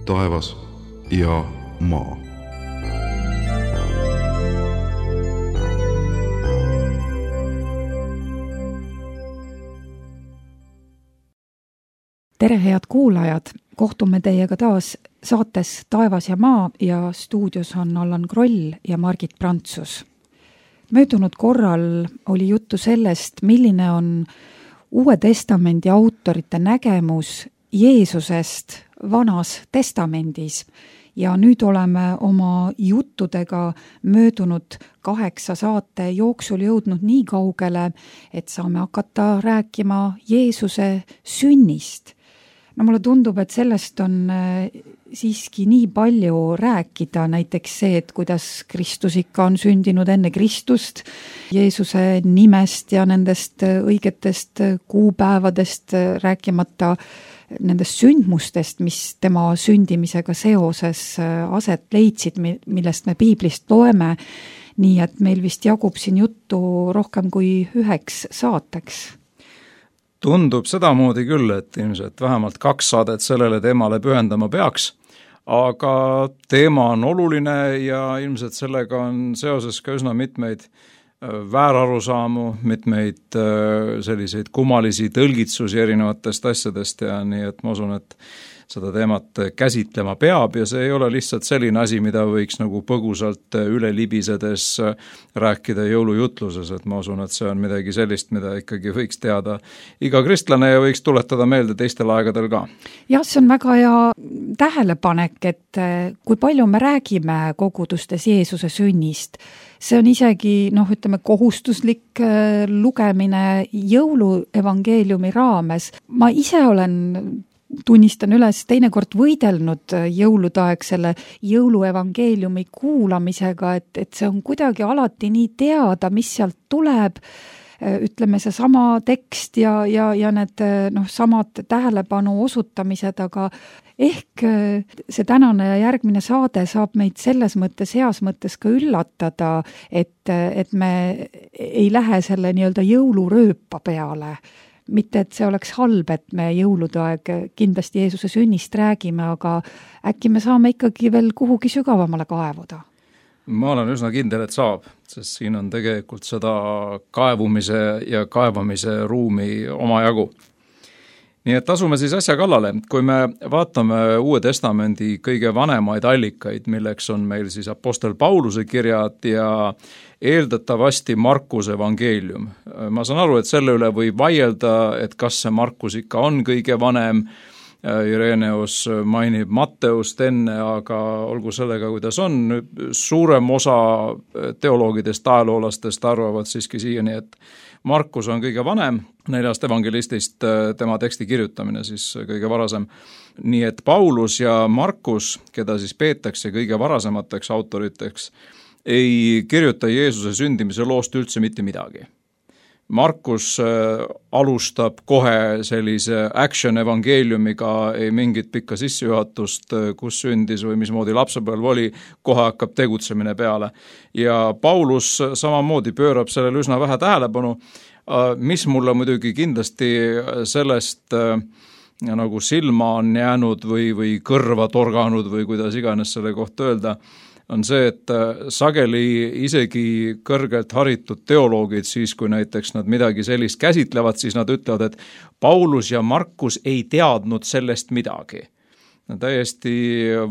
taevas ja maa. Tere, head kuulajad! Kohtume teiega taas saates Taevas ja maa ja stuudios on Allan Kroll ja Margit Prantsus. Möödunud korral oli juttu sellest, milline on Uue Testamendi autorite nägemus Jeesusest Vanas Testamendis ja nüüd oleme oma juttudega möödunud 8 saate jooksul jõudnud nii kaugele, et saame hakata rääkima Jeesuse sünnist. No mulle tundub, et sellest on siiski nii palju rääkida, näiteks see, et kuidas Kristus ikka on sündinud enne Kristust, Jeesuse nimest ja nendest õigetest kuupäevadest rääkimata nendest sündmustest, mis tema sündimisega seoses aset leidsid, millest me piiblist loeme, nii et meil vist jagub siin juttu rohkem kui 9 saateks. Tundub sedamoodi küll, et ilmselt vähemalt 2 saadet sellele teemale pühendama peaks, aga teema on oluline ja ilmselt sellega on seoses ka üsna mitmeid väärarusaamu, mitmeid selliseid kummalisi tõlgitsusi erinevatest asjadest ja nii, et ma usun, et seda teemat käsitlema peab ja see ei ole lihtsalt selline asi, mida võiks nagu põgusalt üle libisedes rääkida jõulujutluses, et ma usun, et see on midagi sellist, mida ikkagi võiks teada iga kristlane ja võiks tuletada meelde teistel aegadel ka. Jah, see on väga hea tähelepanek, et kui palju me räägime kogudustes Jeesuse sünnist, see on isegi, kohustuslik lugemine jõuluevangeeliumi raames. Ma ise tunnistan üles teinekord võidelnud jõulude aeg selle jõuluevangeeliumi kuulamisega, et see on kuidagi alati nii teada, mis sealt tuleb, ütleme see sama tekst ja need samad tähelepanu osutamised, aga ehk see tänane ja järgmine saade saab meid selles mõttes, heas mõttes ka üllatada, et me ei lähe selle nii-öelda jõulurööpa peale. Mitte, et see oleks halb, et me jõulude aeg kindlasti Jeesuse sünnist räägime, aga äkki me saame ikkagi veel kuhugi sügavamale kaevuda? Ma olen üsna kindel, et saab, sest siin on tegelikult seda kaevumise ja kaevamise ruumi omajagu. Nii et asume siis asja kallale. Kui me vaatame Uue Testamendi kõige vanemaid allikaid, milleks on meil siis apostel Pauluse kirjad ja eeldatavasti Markuse evangeelium. Ma saan aru, et selle üle võib vaielda, et kas see Markus ikka on kõige vanem. Ireneus mainib Matteust enne, aga olgu sellega, kuidas on. Suurem osa teoloogidest, ajaloolastest arvavad siiski siiani, et Markus on kõige vanem, 4 evangelistist tema teksti kirjutamine siis kõige varasem. Nii et Paulus ja Markus, keda siis peetakse kõige varasemateks autoriteks, ei kirjuta Jeesuse sündimise loost üldse mitte midagi. Markus alustab kohe sellise action evangeeliumiga, ei mingit pikka sissejuhatust, kus sündis või mismoodi lapsepõlv oli, kohe hakkab tegutsemine peale. Ja Paulus samamoodi pöörab sellele üsna vähe tähelepanu, mis mulle muidugi kindlasti sellest nagu silma on jäänud või kõrva torganud või kuidas iganes selle kohta öelda, on see, et sageli isegi kõrgelt haritud teoloogid, siis kui näiteks nad midagi sellist käsitlevad, siis nad ütlevad, et Paulus ja Markus ei teadnud sellest midagi. Täiesti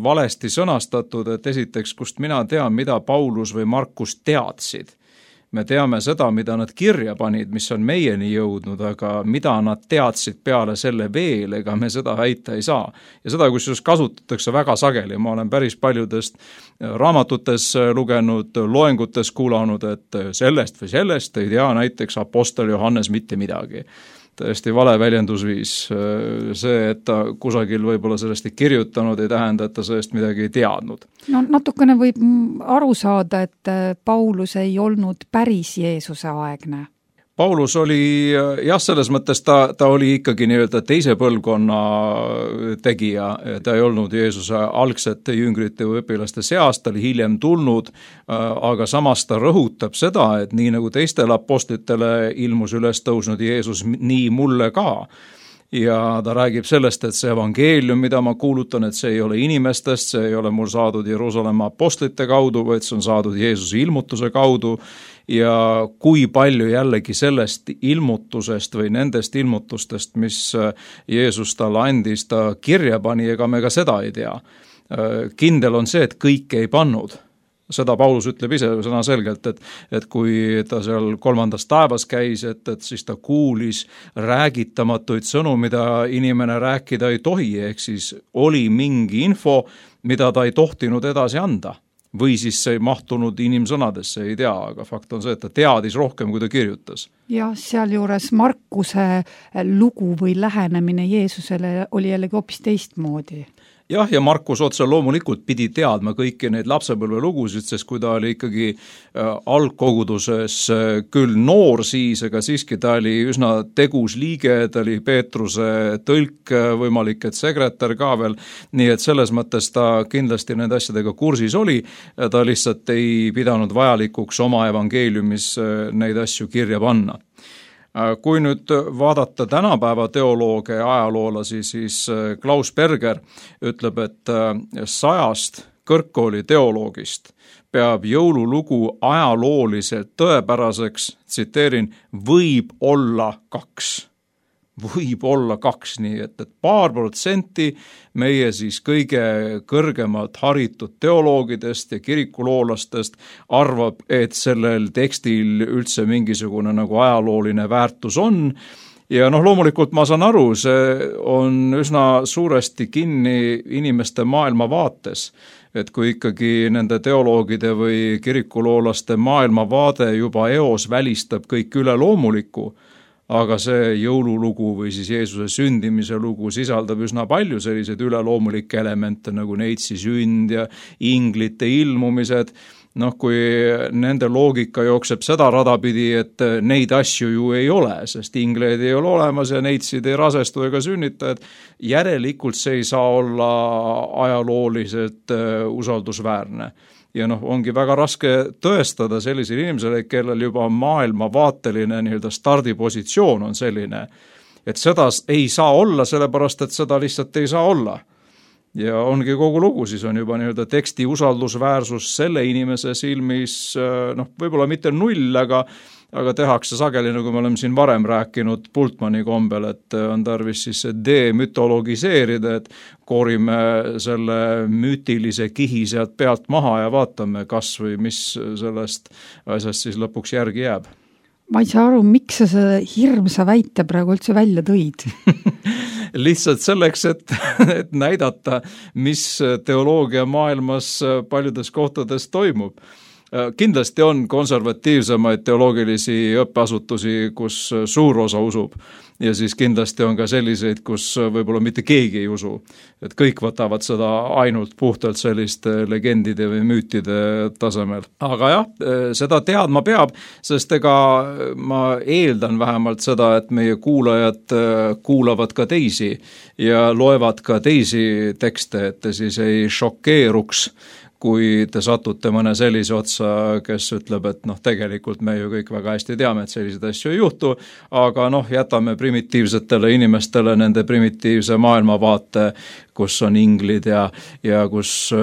valesti sõnastatud, et esiteks, kust mina tean, mida Paulus või Markus teadsid. Me teame seda, mida nad kirja panid, mis on meieni jõudnud, aga mida nad teadsid peale selle veel, ega me seda väita ei saa. Ja seda, kusjuures kasutatakse väga sageli. Ma olen päris paljudest raamatutes lugenud, loengutes kuulanud, et sellest või sellest ei tea näiteks apostel Johannes mitte midagi. Täiesti vale väljendusviis. See, et ta kusagil võib-olla sellest ei kirjutanud, ei tähenda, et ta sellest midagi ei teadnud. No natukene võib aru saada, et Paulus ei olnud päris Jeesuse aegne. Paulus oli, jah, selles mõttes ta oli ikkagi nii-öelda teise põlvkonna tegija, ta ei olnud Jeesuse algsete jüngrite või õpilaste seas, ta oli hiljem tulnud, aga samas ta rõhutab seda, et nii nagu teistele apostlitele ilmus üles tõusnud Jeesus, nii mulle ka. ja ta räägib sellest, et see evangeelium, mida ma kuulutan, et see ei ole inimestest, see ei ole mul saadud Jeruusalemma apostlite kaudu, vaid see on saadud Jeesuse ilmutuse kaudu ja kui palju jällegi sellest ilmutusest või nendest ilmutustest, mis Jeesus talle andis, ta kirja pani, ega me ka seda ei tea. Kindel on see, et kõike ei pannud. Seda Paulus ütleb ise sõna selgelt, et kui ta seal 3. taevas käis, et siis ta kuulis räägitamatuid sõnu, mida inimene rääkida ei tohi, ehk siis oli mingi info, mida ta ei tohtinud edasi anda. Või siis see ei mahtunud inimsõnadesse, ei tea, aga fakt on see, et ta teadis rohkem, kui ta kirjutas. Ja sealjuures Markuse lugu või lähenemine Jeesusele oli jällegi hoopis teistmoodi. Jah, ja Markus otse loomulikult pidi teadma kõiki neid lapsepõlve lugusid, sest kui ta oli ikkagi algkoguduses küll noor siis, aga siiski ta oli üsna tegus liige, ta oli Peetruse tõlk, võimalik, et sekretär ka veel, nii et selles mõttes ta kindlasti nende asjadega kursis oli, ta lihtsalt ei pidanud vajalikuks oma evangeeliumis neid asju kirja panna. Kui nüüd vaadata tänapäeva teoloogia ja ajaloolasi, siis Klaus Berger ütleb, et 100 kõrgkooli teoloogist peab jõululugu ajalooliselt tõepäraseks, tsiteerin, võib olla 2. Võib olla 2, nii et paar protsenti meie siis kõige kõrgemalt haritud teoloogidest ja kirikuloolastest arvab, et sellel tekstil üldse mingisugune nagu ajalooline väärtus on. Ja loomulikult ma saan aru, see on üsna suuresti kinni inimeste maailmavaates, et kui ikkagi nende teoloogide või kirikuloolaste maailmavaade juba eos välistab kõik üleloomulikku, aga see jõululugu või siis Jeesuse sündimise lugu sisaldab üsna palju selliseid üleloomulikke elemente nagu neitsi sünd ja inglite ilmumised. Kui nende loogika jookseb seda rada pidi, et neid asju ju ei ole, sest ingleid ei ole olemas ja neitsid ei rasestu ega sünnita, et järelikult see ei saa olla ajalooliselt usaldusväärne. Ja ongi väga raske tõestada sellisele inimesele, kellel juba maailmavaateline stardipositsioon on selline, et seda ei saa olla, sellepärast et seda lihtsalt ei saa olla. Ja ongi kogu lugu, siis on juba teksti usaldusväärsus selle inimese silmis, võib-olla mitte 0, aga tehakse sageli, nagu me oleme siin varem rääkinud Bultmanni kombel, et on tarvis siis demütologiseerida, et koorime selle müütilise kihi sealt pealt maha ja vaatame kas või mis sellest asjast siis lõpuks järgi jääb. Ma ei saa aru, miks sa seda hirmsa väite praegu üldse välja tõid? Lihtsalt selleks, et näidata, mis teoloogia maailmas paljudes kohtades toimub. Kindlasti on konservatiivsemaid teoloogilisi õppeasutusi, kus suur osa usub ja siis kindlasti on ka selliseid, kus võib-olla mitte keegi ei usu. Et kõik võtavad seda ainult puhtalt selliste legendide või müütide tasemel. Aga jah, seda teadma peab, sest ega ma eeldan vähemalt seda, et meie kuulajad kuulavad ka teisi ja loevad ka teisi tekste, et te siis ei šokeeruks, kui te satute mõne sellise otsa, kes ütleb, et tegelikult me ju kõik väga hästi teame, et selliseid asju ei juhtu, aga jätame primitiivsetele inimestele nende primitiivse maailmavaate, kus on inglid ja kus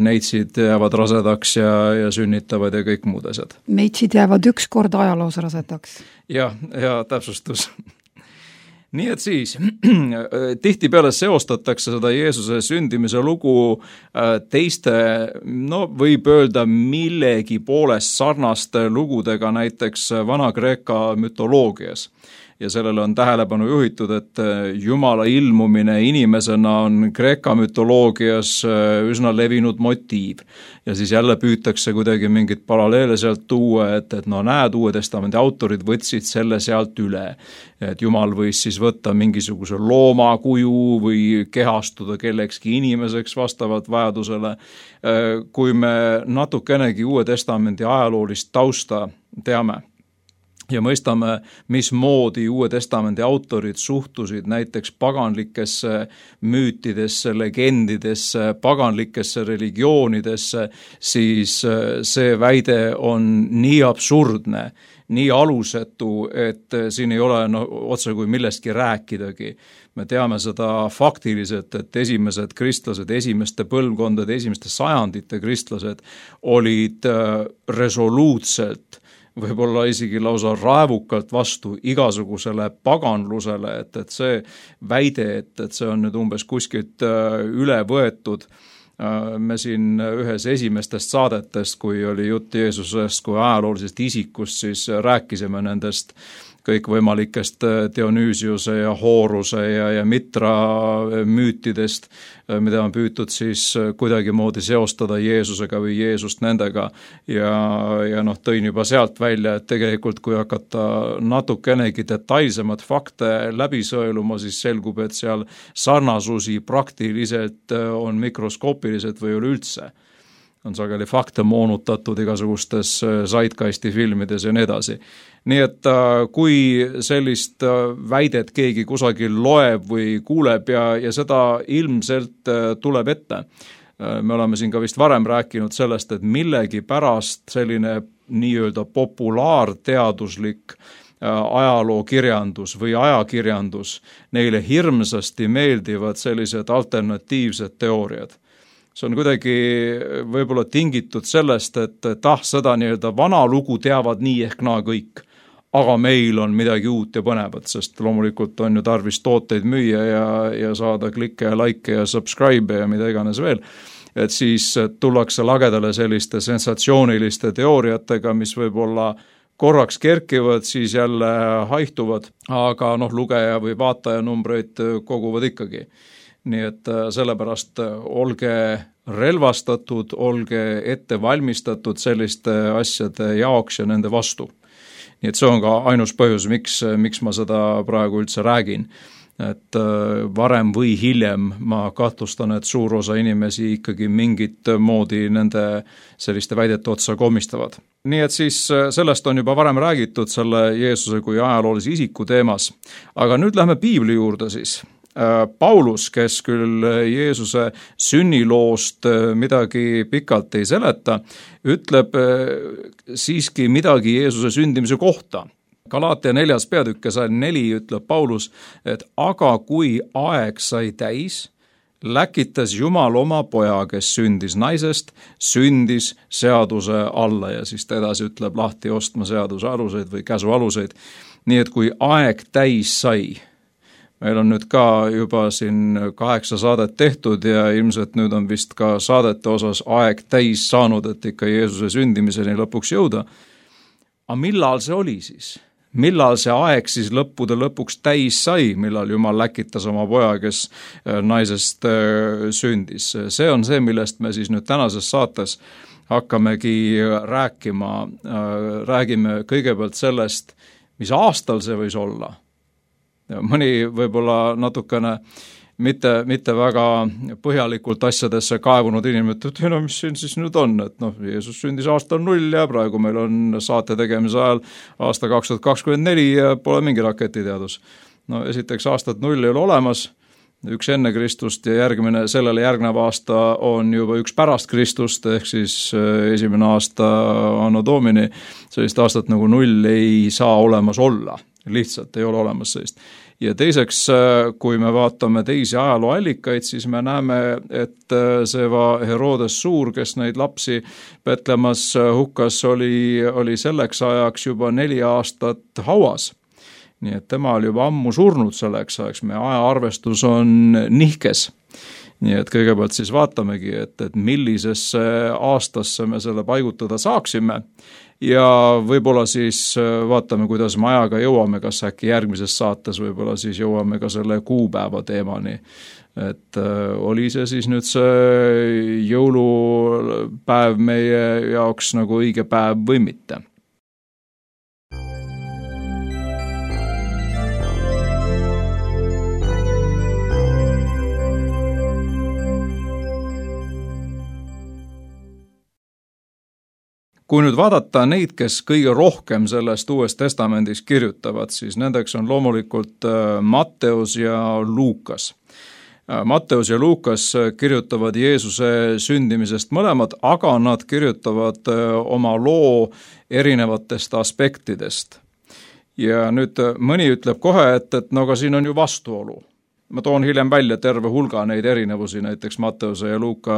neitsid jäävad rasedaks ja sünnitavad ja kõik muud asjad. Neitsid jäävad üks kord ajaloos rasedaks. Ja täpsustus. Nii et siis, tihtipeale seostatakse seda Jeesuse sündimise lugu teiste, võib öelda millegi poolest sarnaste lugudega näiteks Vana-Kreeka mütoloogias. Ja sellele on tähelepanu juhitud, et Jumala ilmumine inimesena on Kreeka mütoloogias üsna levinud motiiv. Ja siis jälle püütakse kuidagi mingit paralleele sealt tuua, et näed, Uue Testamendi autorid võtsid selle sealt üle. Et Jumal võis siis võtta mingisuguse looma kuju või kehastuda kellekski inimeseks vastavalt vajadusele. Kui me natukenegi Uue Testamendi ajaloolist tausta teame, ja mõistame, mismoodi Uue Testamendi autorid suhtusid näiteks paganlikesse müütidesse, legendidesse, paganlikesse religioonidesse, siis see väide on nii absurdne nii alusetu, et siin ei ole otse kui millestki rääkidagi. Me teame seda faktiliselt, et esimesed kristlased, esimeste põlvkondade, esimeste sajandite kristlased olid resoluutselt, võib-olla isegi lausa raevukalt vastu igasugusele paganlusele, et see väide, et see on nüüd umbes kuskilt üle võetud. Me siin ühes esimestest saadetest, kui oli jutt Jeesusest kui ajaloolisest isikust, siis rääkisime nendest kõikvõimalikest Dionüüsiuse ja Horuse ja Mitra müütidest, mida on püütud siis kuidagimoodi seostada Jeesusega või Jeesust nendega ja tõin juba sealt välja, et tegelikult kui hakata natukenegi detailsemad fakte läbi sõeluma, siis selgub, et seal sarnasusi praktiliselt on mikroskoopiliselt või üleüldse. On sageli fakte moonutatud igasugustes Zeitgeisti filmides ja nii edasi. Nii et kui sellist väidet keegi kusagil loeb või kuuleb ja seda ilmselt tuleb ette, me oleme siin ka vist varem rääkinud sellest, et millegi pärast selline nii-öelda populaarteaduslik ajalookirjandus või ajakirjandus, neile hirmsasti meeldivad sellised alternatiivsed teooriad. See on kuidagi võib-olla tingitud sellest, et seda nii-öelda vana lugu teavad nii ehk naa kõik, aga meil on midagi uut ja põnevat, sest loomulikult on ju tarvis tooteid müüa ja saada klikke ja like ja subscribe ja mida iganes veel, et siis tullakse lagedale selliste sensatsiooniliste teooriatega, mis võib-olla korraks kerkivad, siis jälle haihtuvad, aga lugeja või vaataja numbreid koguvad ikkagi. Nii et sellepärast olge relvastatud, olge ette valmistatud selliste asjade jaoks ja nende vastu. Nii et see on ka ainus põhjus, miks ma seda praegu üldse räägin. Et varem või hiljem ma kahtlustan, et suur osa inimesi ikkagi mingit moodi nende selliste väidete otsa komistavad. Nii et siis sellest on juba varem räägitud selle Jeesuse kui ajaloolise isiku teemas, aga nüüd lähme Piibli juurde siis. Paulus, kes küll Jeesuse sünniloost midagi pikalt ei seleta, ütleb siiski midagi Jeesuse sündimise kohta. Galaatia 4. peatükk ja salm 4 ütleb Paulus, et aga kui aeg sai täis, läkitas Jumal oma poja, kes sündis naisest, sündis seaduse alla ja siis ta edasi ütleb lahti ostma seaduse aluseid või käsu aluseid. Nii et kui aeg täis sai, meil on nüüd ka juba siin 8 saadet tehtud ja ilmselt nüüd on vist ka saadete osas aeg täis saanud, et ikka Jeesuse sündimiseni lõpuks jõuda. Aga millal see oli siis? Millal see aeg siis lõppude lõpuks täis sai, millal Jumal läkitas oma poja, kes naisest sündis? See on see, millest me siis nüüd tänases saates hakkamegi rääkima. Räägime kõigepealt sellest, mis aastal see võis olla. Mõni võib-olla natukene mitte väga põhjalikult asjadesse kaevunud inimene, et mis siin siis nüüd on, et Jeesus sündis aastal 0 ja praegu meil on saate tegemise ajal aasta 2024 ja pole mingi raketiteadus. Esiteks aastat 0 ei ole olemas, üks enne Kristust ja sellele järgnev aasta on juba üks pärast Kristust, ehk siis esimene aasta anno domini, sellist aastat nagu 0 ei saa olemas olla. Lihtsalt ei ole olemas sellist. Ja teiseks, kui me vaatame teisi ajalooallikaid, siis me näeme, et see Herodes Suur, kes neid lapsi Betlemas hukkas, oli selleks ajaks juba 4 aastat hauas. Nii et tema oli juba ammu surnud selleks ajaks, meie ajaarvestus on nihkes. Nii et kõigepealt siis vaatamegi, et millisesse aastasse me selle paigutada saaksime ja võib-olla siis vaatame, kuidas me ajaga jõuame, kas äkki järgmises saates võib-olla siis jõuame ka selle kuupäeva teemani. Et oli see siis nüüd see jõulupäev meie jaoks nagu õige päev või mitte. Kui nüüd vaadata neid, kes kõige rohkem sellest Uues Testamendis kirjutavad, siis nendeks on loomulikult Matteus ja Luukas. Matteus ja Luukas kirjutavad Jeesuse sündimisest mõlemad, aga nad kirjutavad oma loo erinevatest aspektidest. Ja nüüd mõni ütleb kohe, et no aga siin on ju vastuolu. Ma toon hiljem välja terve hulga neid erinevusi, näiteks Matteuse ja Luuka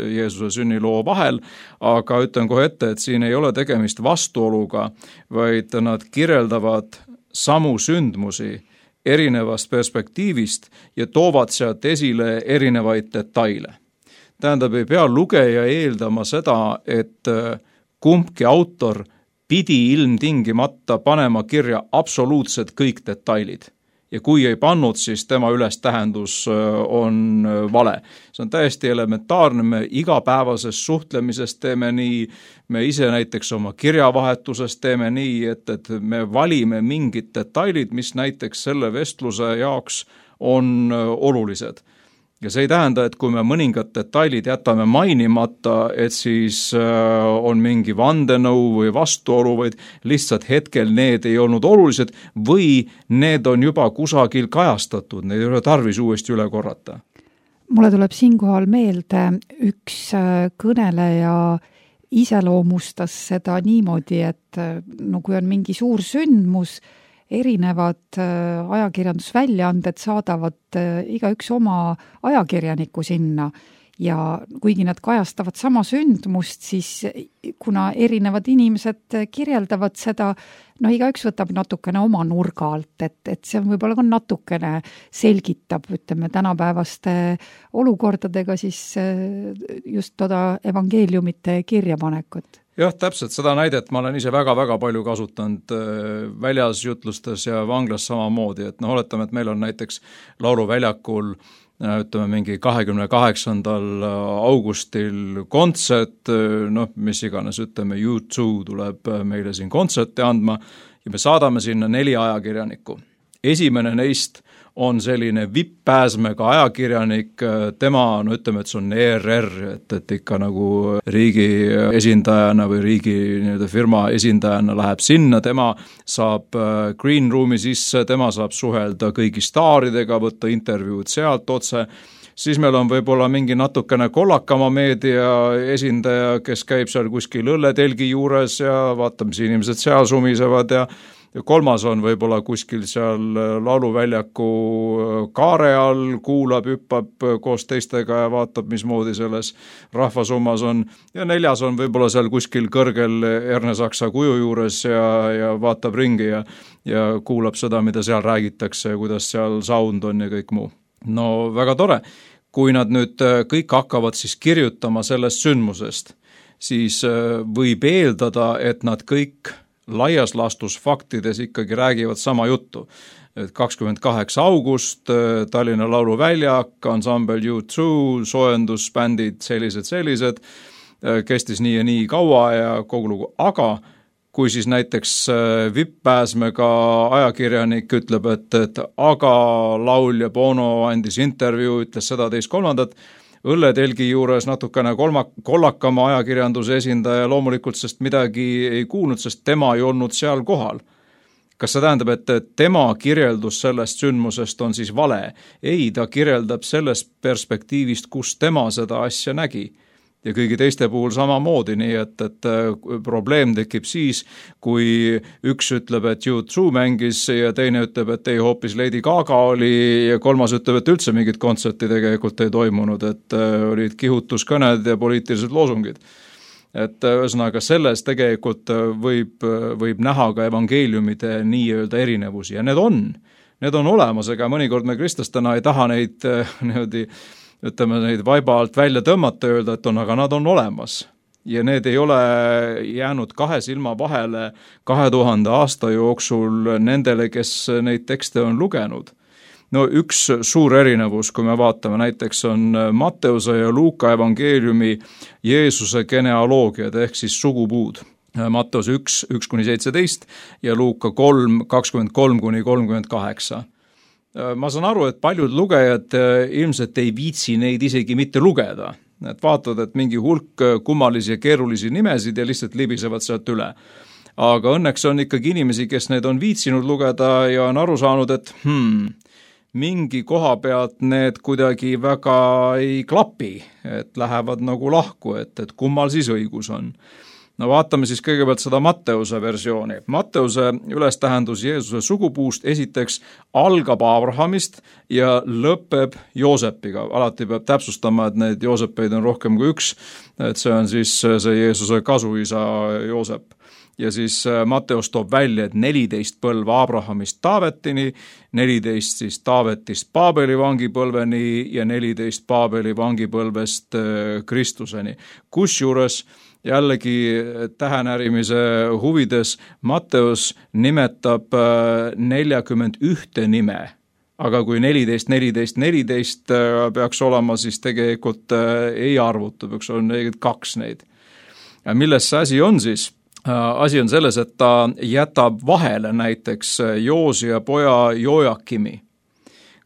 Jeesuse sünniloo vahel, aga ütlen kohe ette, et siin ei ole tegemist vastuoluga, vaid nad kirjeldavad samu sündmusi erinevast perspektiivist ja toovad sealt esile erinevaid detaile. Tähendab, ei pea lugeja eeldama seda, et kumbki autor pidi ilmtingimata panema kirja absoluutselt kõik detailid. Ja kui ei pannud, siis tema ülestähendus on vale. See on täiesti elementaarne, me igapäevases suhtlemises teeme nii, me ise näiteks oma kirjavahetuses teeme nii, et me valime mingid detailid, mis näiteks selle vestluse jaoks on olulised. Ja see ei tähenda, et kui me mõningad detailid jätame mainimata, et siis on mingi vandenõu või vastuolu, vaid lihtsalt hetkel need ei olnud olulised või need on juba kusagil kajastatud, need ei ole tarvis uuesti üle korrata. Mulle tuleb siinkohal meelde üks kõneleja iseloomustas seda niimoodi, et no kui on mingi suur sündmus, erinevad ajakirjandusväljaanded saadavad igaüks oma ajakirjaniku sinna ja kuigi nad kajastavad sama sündmust, siis kuna erinevad inimesed kirjeldavad seda, no igaüks võtab natukene oma nurga alt, et see võib-olla ka natukene selgitab, ütleme, tänapäevaste olukordadega siis just toda evangeeliumite kirjapanekut. Jah, täpselt seda näidet ma olen ise väga-väga palju kasutanud väljas jutlustes ja vanglas samamoodi, et oletame, et meil on näiteks lauluväljakul ütleme mingi 28. augustil kontsert, mis iganes, ütleme U2 tuleb meile siin kontserti andma ja me saadame sinna 4 ajakirjanikku. Esimene neist on selline VIP-pääsmega ajakirjanik, tema, ütleme, et see on ERR, et ikka nagu riigi esindajana või riigi firma esindajana läheb sinna, tema saab green room'i sisse, tema saab suhelda kõigi staaridega, võtta intervjuud sealt otse, siis meil on võib-olla mingi natukene kollakama meedia esindaja, kes käib seal kuskil õlletelgi juures ja vaatab, mis inimesed seal sumisevad ja kolmas on võib-olla kuskil seal lauluväljaku kaare all, kuulab, hüppab koos teistega ja vaatab, mismoodi selles rahvasummas on. Ja 4. on võib-olla seal kuskil kõrgel Ernesaksa kuju juures ja vaatab ringi ja kuulab seda, mida seal räägitakse ja kuidas seal sound on ja kõik muu. No väga tore. Kui nad nüüd kõik hakkavad siis kirjutama sellest sündmusest, siis võib eeldada, et nad kõik laias laastus faktides ikkagi räägivad sama juttu. 28. august, Tallinna lauluväljak, ansambel U2, soojendusbändid, sellised, kestis nii ja nii kaua ja kogu lugu. Aga kui siis näiteks VIP-pääsmega ajakirjanik ütleb, et aga laulja Bono andis intervjuu, ütles seda 2.3. õlletelgi juures natukene kollakama ajakirjanduse esindaja loomulikult, sest midagi ei kuulnud, sest tema ei olnud seal kohal. Kas see tähendab, et tema kirjeldus sellest sündmusest on siis vale? Ei, ta kirjeldab sellest perspektiivist, kus tema seda asja nägi. Ja kõigi teiste puhul samamoodi, nii et probleem tekib siis, kui üks ütleb, et U2 mängis ja teine ütleb, et ei, hoopis Lady Gaga oli ja kolmas ütleb, et üldse mingit kontserti tegelikult ei toimunud, et olid kihutuskõned ja poliitilised loosungid. Et ühesõnaga selles tegelikult võib näha ka evangeeliumide nii-öelda erinevusi ja need on olemas, ega mõnikord me kristlastena ei taha neid neid vaiba alt välja tõmmata ja öelda, et aga nad on olemas. Ja need ei ole jäänud 2 silma vahele 2000 aasta jooksul nendele, kes neid tekste on lugenud. No üks suur erinevus, kui me vaatame, näiteks on Matteuse ja Luuka evangeeliumi Jeesuse genealoogiad ehk siis sugupuud. Matteus 1:17 ja Luuka 3:23-38. Ma saan aru, et paljud lugejad ilmselt ei viitsi neid isegi mitte lugeda. Et vaatad, et mingi hulk kummalisi ja keerulisi nimesid ja lihtsalt libisevad sealt üle. Aga õnneks on ikkagi inimesi, kes need on viitsinud lugeda ja on aru saanud, et mingi koha pealt need kuidagi väga ei klapi, et lähevad nagu lahku, et kummal siis õigus on. No vaatame siis kõigepealt seda Matteuse versiooni. Matteuse ülestähendus Jeesuse sugupuust esiteks algab Abrahamist ja lõpeb Joosepiga. Alati peab täpsustama, et neid Joosepeid on rohkem kui üks, et see on siis see Jeesuse kasuisa Joosep. Ja siis Matteus toob välja, et 14 põlva Abrahamist Taavetini, 14 siis Taavetist Paabeli vangipõlveni ja 14 Paabeli vangipõlvest Kristuseni. Kusjuures jällegi tähenärimise huvides Matteus nimetab 41 nime, aga kui 14 peaks olema, siis tegelikult ei arvuta, peaks olema 42 neid. Ja milles see asi on siis? Asi on selles, et ta jätab vahele näiteks Joosia poja Joakimi.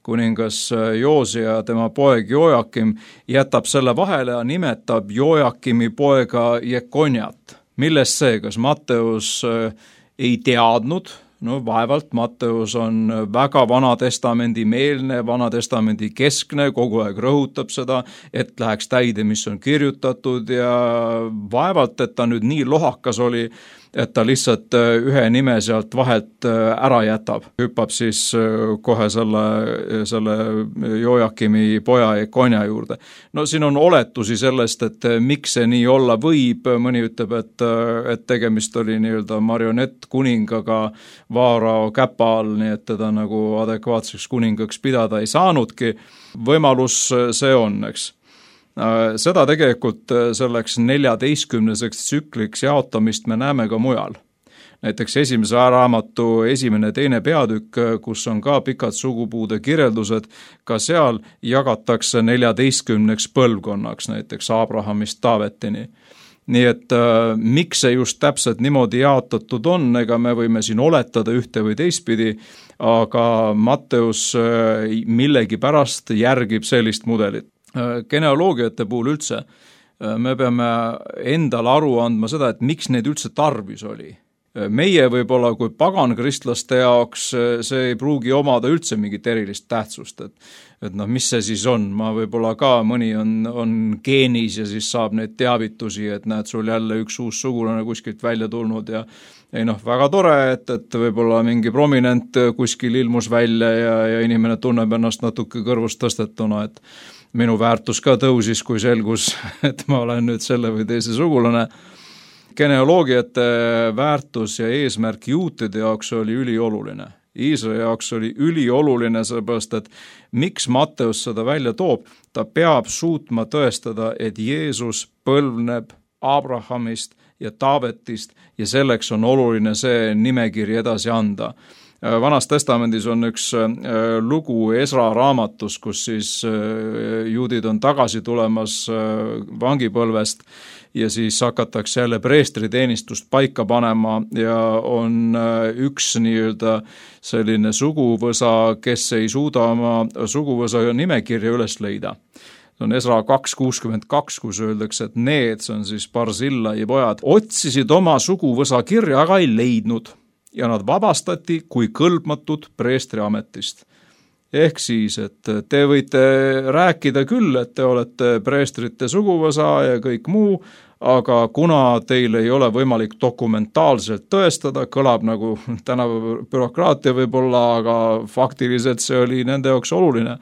Kuningas Joosia ja tema poeg Joakim jätab selle vahele ja nimetab Joakimi poega Jekonjat. Milles see, kas Matteus ei teadnud? No vaevalt, Matteus on väga Vanatestamendi meelne, Vanatestamendi keskne, kogu aeg rõhutab seda, et läheks täide, mis on kirjutatud ja vaevalt, et ta nüüd nii lohakas oli, et ta lihtsalt ühe nime sealt vahelt ära jätab. Hüppab siis kohe selle Joakimi poja Jekonja juurde. No siin on oletusi sellest, et miks see nii olla võib. Mõni ütleb, et tegemist oli nii-öelda marionettkuningaga Vaarao käpa all, nii et teda nagu adekvaatseks kuningaks pidada ei saanudki. Võimalus see on, eks. Seda tegelikult selleks 14 tsükliks jaotamist me näeme ka mujal. Näiteks esimese raamatu 1.–2. peatükk, kus on ka pikad sugupuude kirjeldused, ka seal jagatakse 14 põlvkonnaks, näiteks Abrahamist Taavetini. Nii et miks see just täpselt niimoodi jaotatud on, ega me võime siin oletada ühte või teistpidi, aga Matteus millegipärast järgib sellist mudelit. Genealoogiate puhul üldse me peame endale aru andma seda, et miks neid üldse tarvis oli. Meie võib-olla kui pagankristlaste jaoks see ei pruugi omada üldse mingit erilist tähtsust, et mis see siis on, ma võib-olla ka mõni on geenis ja siis saab neid teavitusi, et näed sul jälle üks uus sugulane kuskilt välja tulnud ja väga tore, et võib-olla mingi prominent kuskil ilmus välja ja inimene tunneb ennast natuke kõrvust tõstetuna, et minu väärtus ka tõusis, kui selgus, et ma olen nüüd selle või teise sugulane. Genealoogiate väärtus ja eesmärk juutide jaoks oli ülioluline. Iisraeli jaoks oli ülioluline, sellepärast, et miks Matteus seda välja toob, ta peab suutma tõestada, et Jeesus põlvneb Abrahamist ja Taavetist ja selleks on oluline see nimekiri edasi anda. Vanas testamendis on üks lugu Esra raamatus, kus siis juudid on tagasi tulemas vangipõlvest ja siis hakatakse jälle preestriteenistust paika panema ja on üks nii-öelda selline suguvõsa, kes ei suuda oma suguvõsa nimekirja üles leida. See on Esra 2.62, kus öeldakse, et need, see on siis Barzillai pojad, otsisid oma suguvõsa kirja, aga ei leidnud. Ja nad vabastati kui kõlbmatud preestriametist. Ehk siis, et te võite rääkida küll, et te olete preestrite suguvõsa ja kõik muu, aga kuna teil ei ole võimalik dokumentaalselt tõestada, kõlab nagu tänapäeva bürokraatia võib-olla, aga faktiliselt see oli nende jaoks oluline.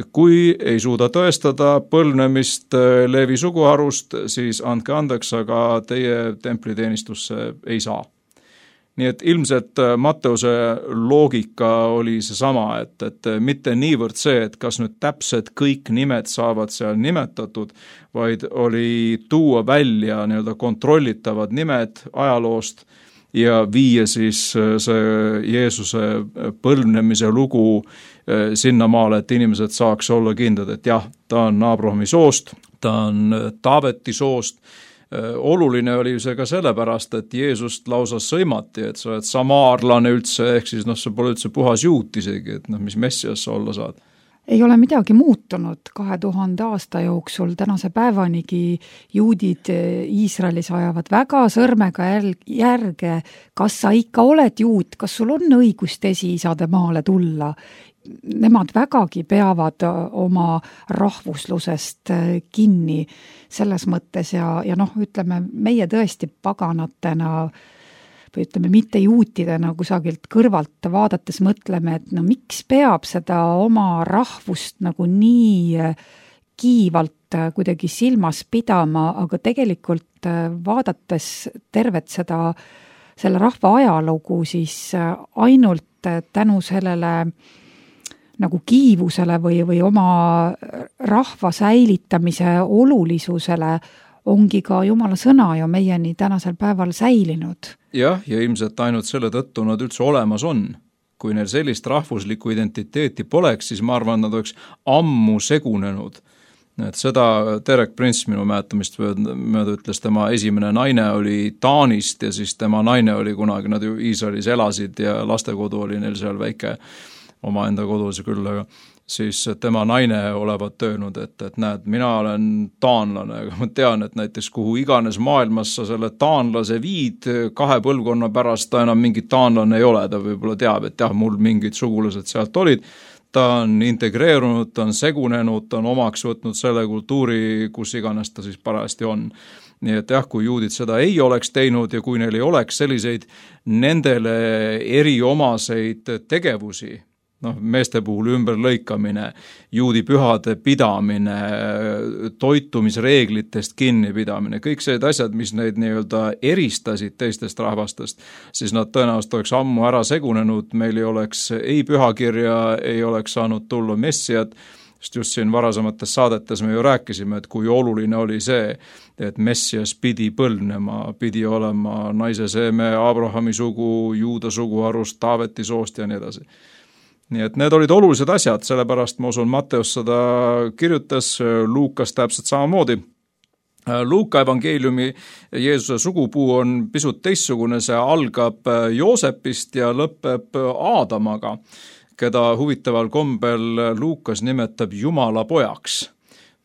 Kui ei suuda tõestada põlvnemist Leevi suguharust, siis andke andeks, aga teie templiteenistusse ei saa. Nii et ilmselt Matteuse loogika oli see sama, et mitte niivõrd see, et kas nüüd täpselt kõik nimed saavad seal nimetatud, vaid oli tuua välja nii-öelda kontrollitavad nimed ajaloost ja viia siis see Jeesuse põlvnemise lugu sinnamaale, et inimesed saaks olla kindlad, et jah, ta on Abrahami soost, ta on Taaveti soost. Oluline oli see ka sellepärast, et Jeesust lausa sõimati, et sa oled samaarlane üldse, ehk siis see pole üldse puhas juut isegi, et mis messias sa olla saad. Ei ole midagi muutunud 2000 aasta jooksul, tänase päevanigi juudid Iisraelis ajavad väga sõrmega järge, kas sa ikka oled juut, kas sul on õigust esiisade maale tulla. Nemad vägagi peavad oma rahvuslusest kinni selles mõttes ja ütleme, meie tõesti paganatena või ütleme, mitte juutidena kusagilt kõrvalt vaadates mõtleme, et miks peab seda oma rahvust nagu nii kiivalt kuidagi silmas pidama, aga tegelikult vaadates tervet selle rahva ajalugu, siis ainult tänu sellele nagu kiivusele või oma rahva säilitamise olulisusele ongi ka Jumala sõna ju meieni tänasel päeval säilinud. Jah, ja ilmselt ainult selle tõttu nad üldse olemas on. Kui neil sellist rahvuslikku identiteeti poleks, siis ma arvan, nad oleks ammu segunenud. Et seda Derek Prince minu mäletamist mööda ütles, tema esimene naine oli Taanist ja siis tema naine oli kunagi, nad ju Iisraelis elasid ja lastekodu oli neil seal väike omaenda kodus küll, aga siis tema naine olevat öelnud, et näed, mina olen taanlane, aga ma tean, et näiteks kuhu iganes maailmas sa selle taanlase viid, 2 põlvkonna pärast ta enam mingi taanlane ei ole, ta võib-olla teab, et jah, mul mingid sugulased sealt olid, ta on integreerunud, ta on segunenud, ta on omaks võtnud selle kultuuri, kus iganes ta siis parajasti on. Nii et jah, kui juudid seda ei oleks teinud ja kui neil ei oleks selliseid nendele eriomaseid tegevusi, meeste puhul ümberlõikamine, juudi pühade pidamine, toitumisreeglitest kinnipidamine, kõik sellised asjad, mis neid nii-öelda eristasid teistest rahvastest, siis nad tõenäoliselt oleks ammu ära segunenud, meil ei oleks ei pühakirja, ei oleks saanud tulla messiad, sest just siin varasemates saadetes me ju rääkisime, et kui oluline oli see, et messias pidi põlvnema, pidi olema naise seeme, Abrahami sugu, juuda suguharust, Taaveti soost ja nii edasi. Nii et need olid olulised asjad, sellepärast ma usun, Matteus seda kirjutas, Luukas täpselt samamoodi. Luuka evangeeliumi Jeesuse sugupuu on pisut teistsugune, see algab Joosepist ja lõpeb Aadamaga, keda huvitaval kombel Luukas nimetab Jumala pojaks.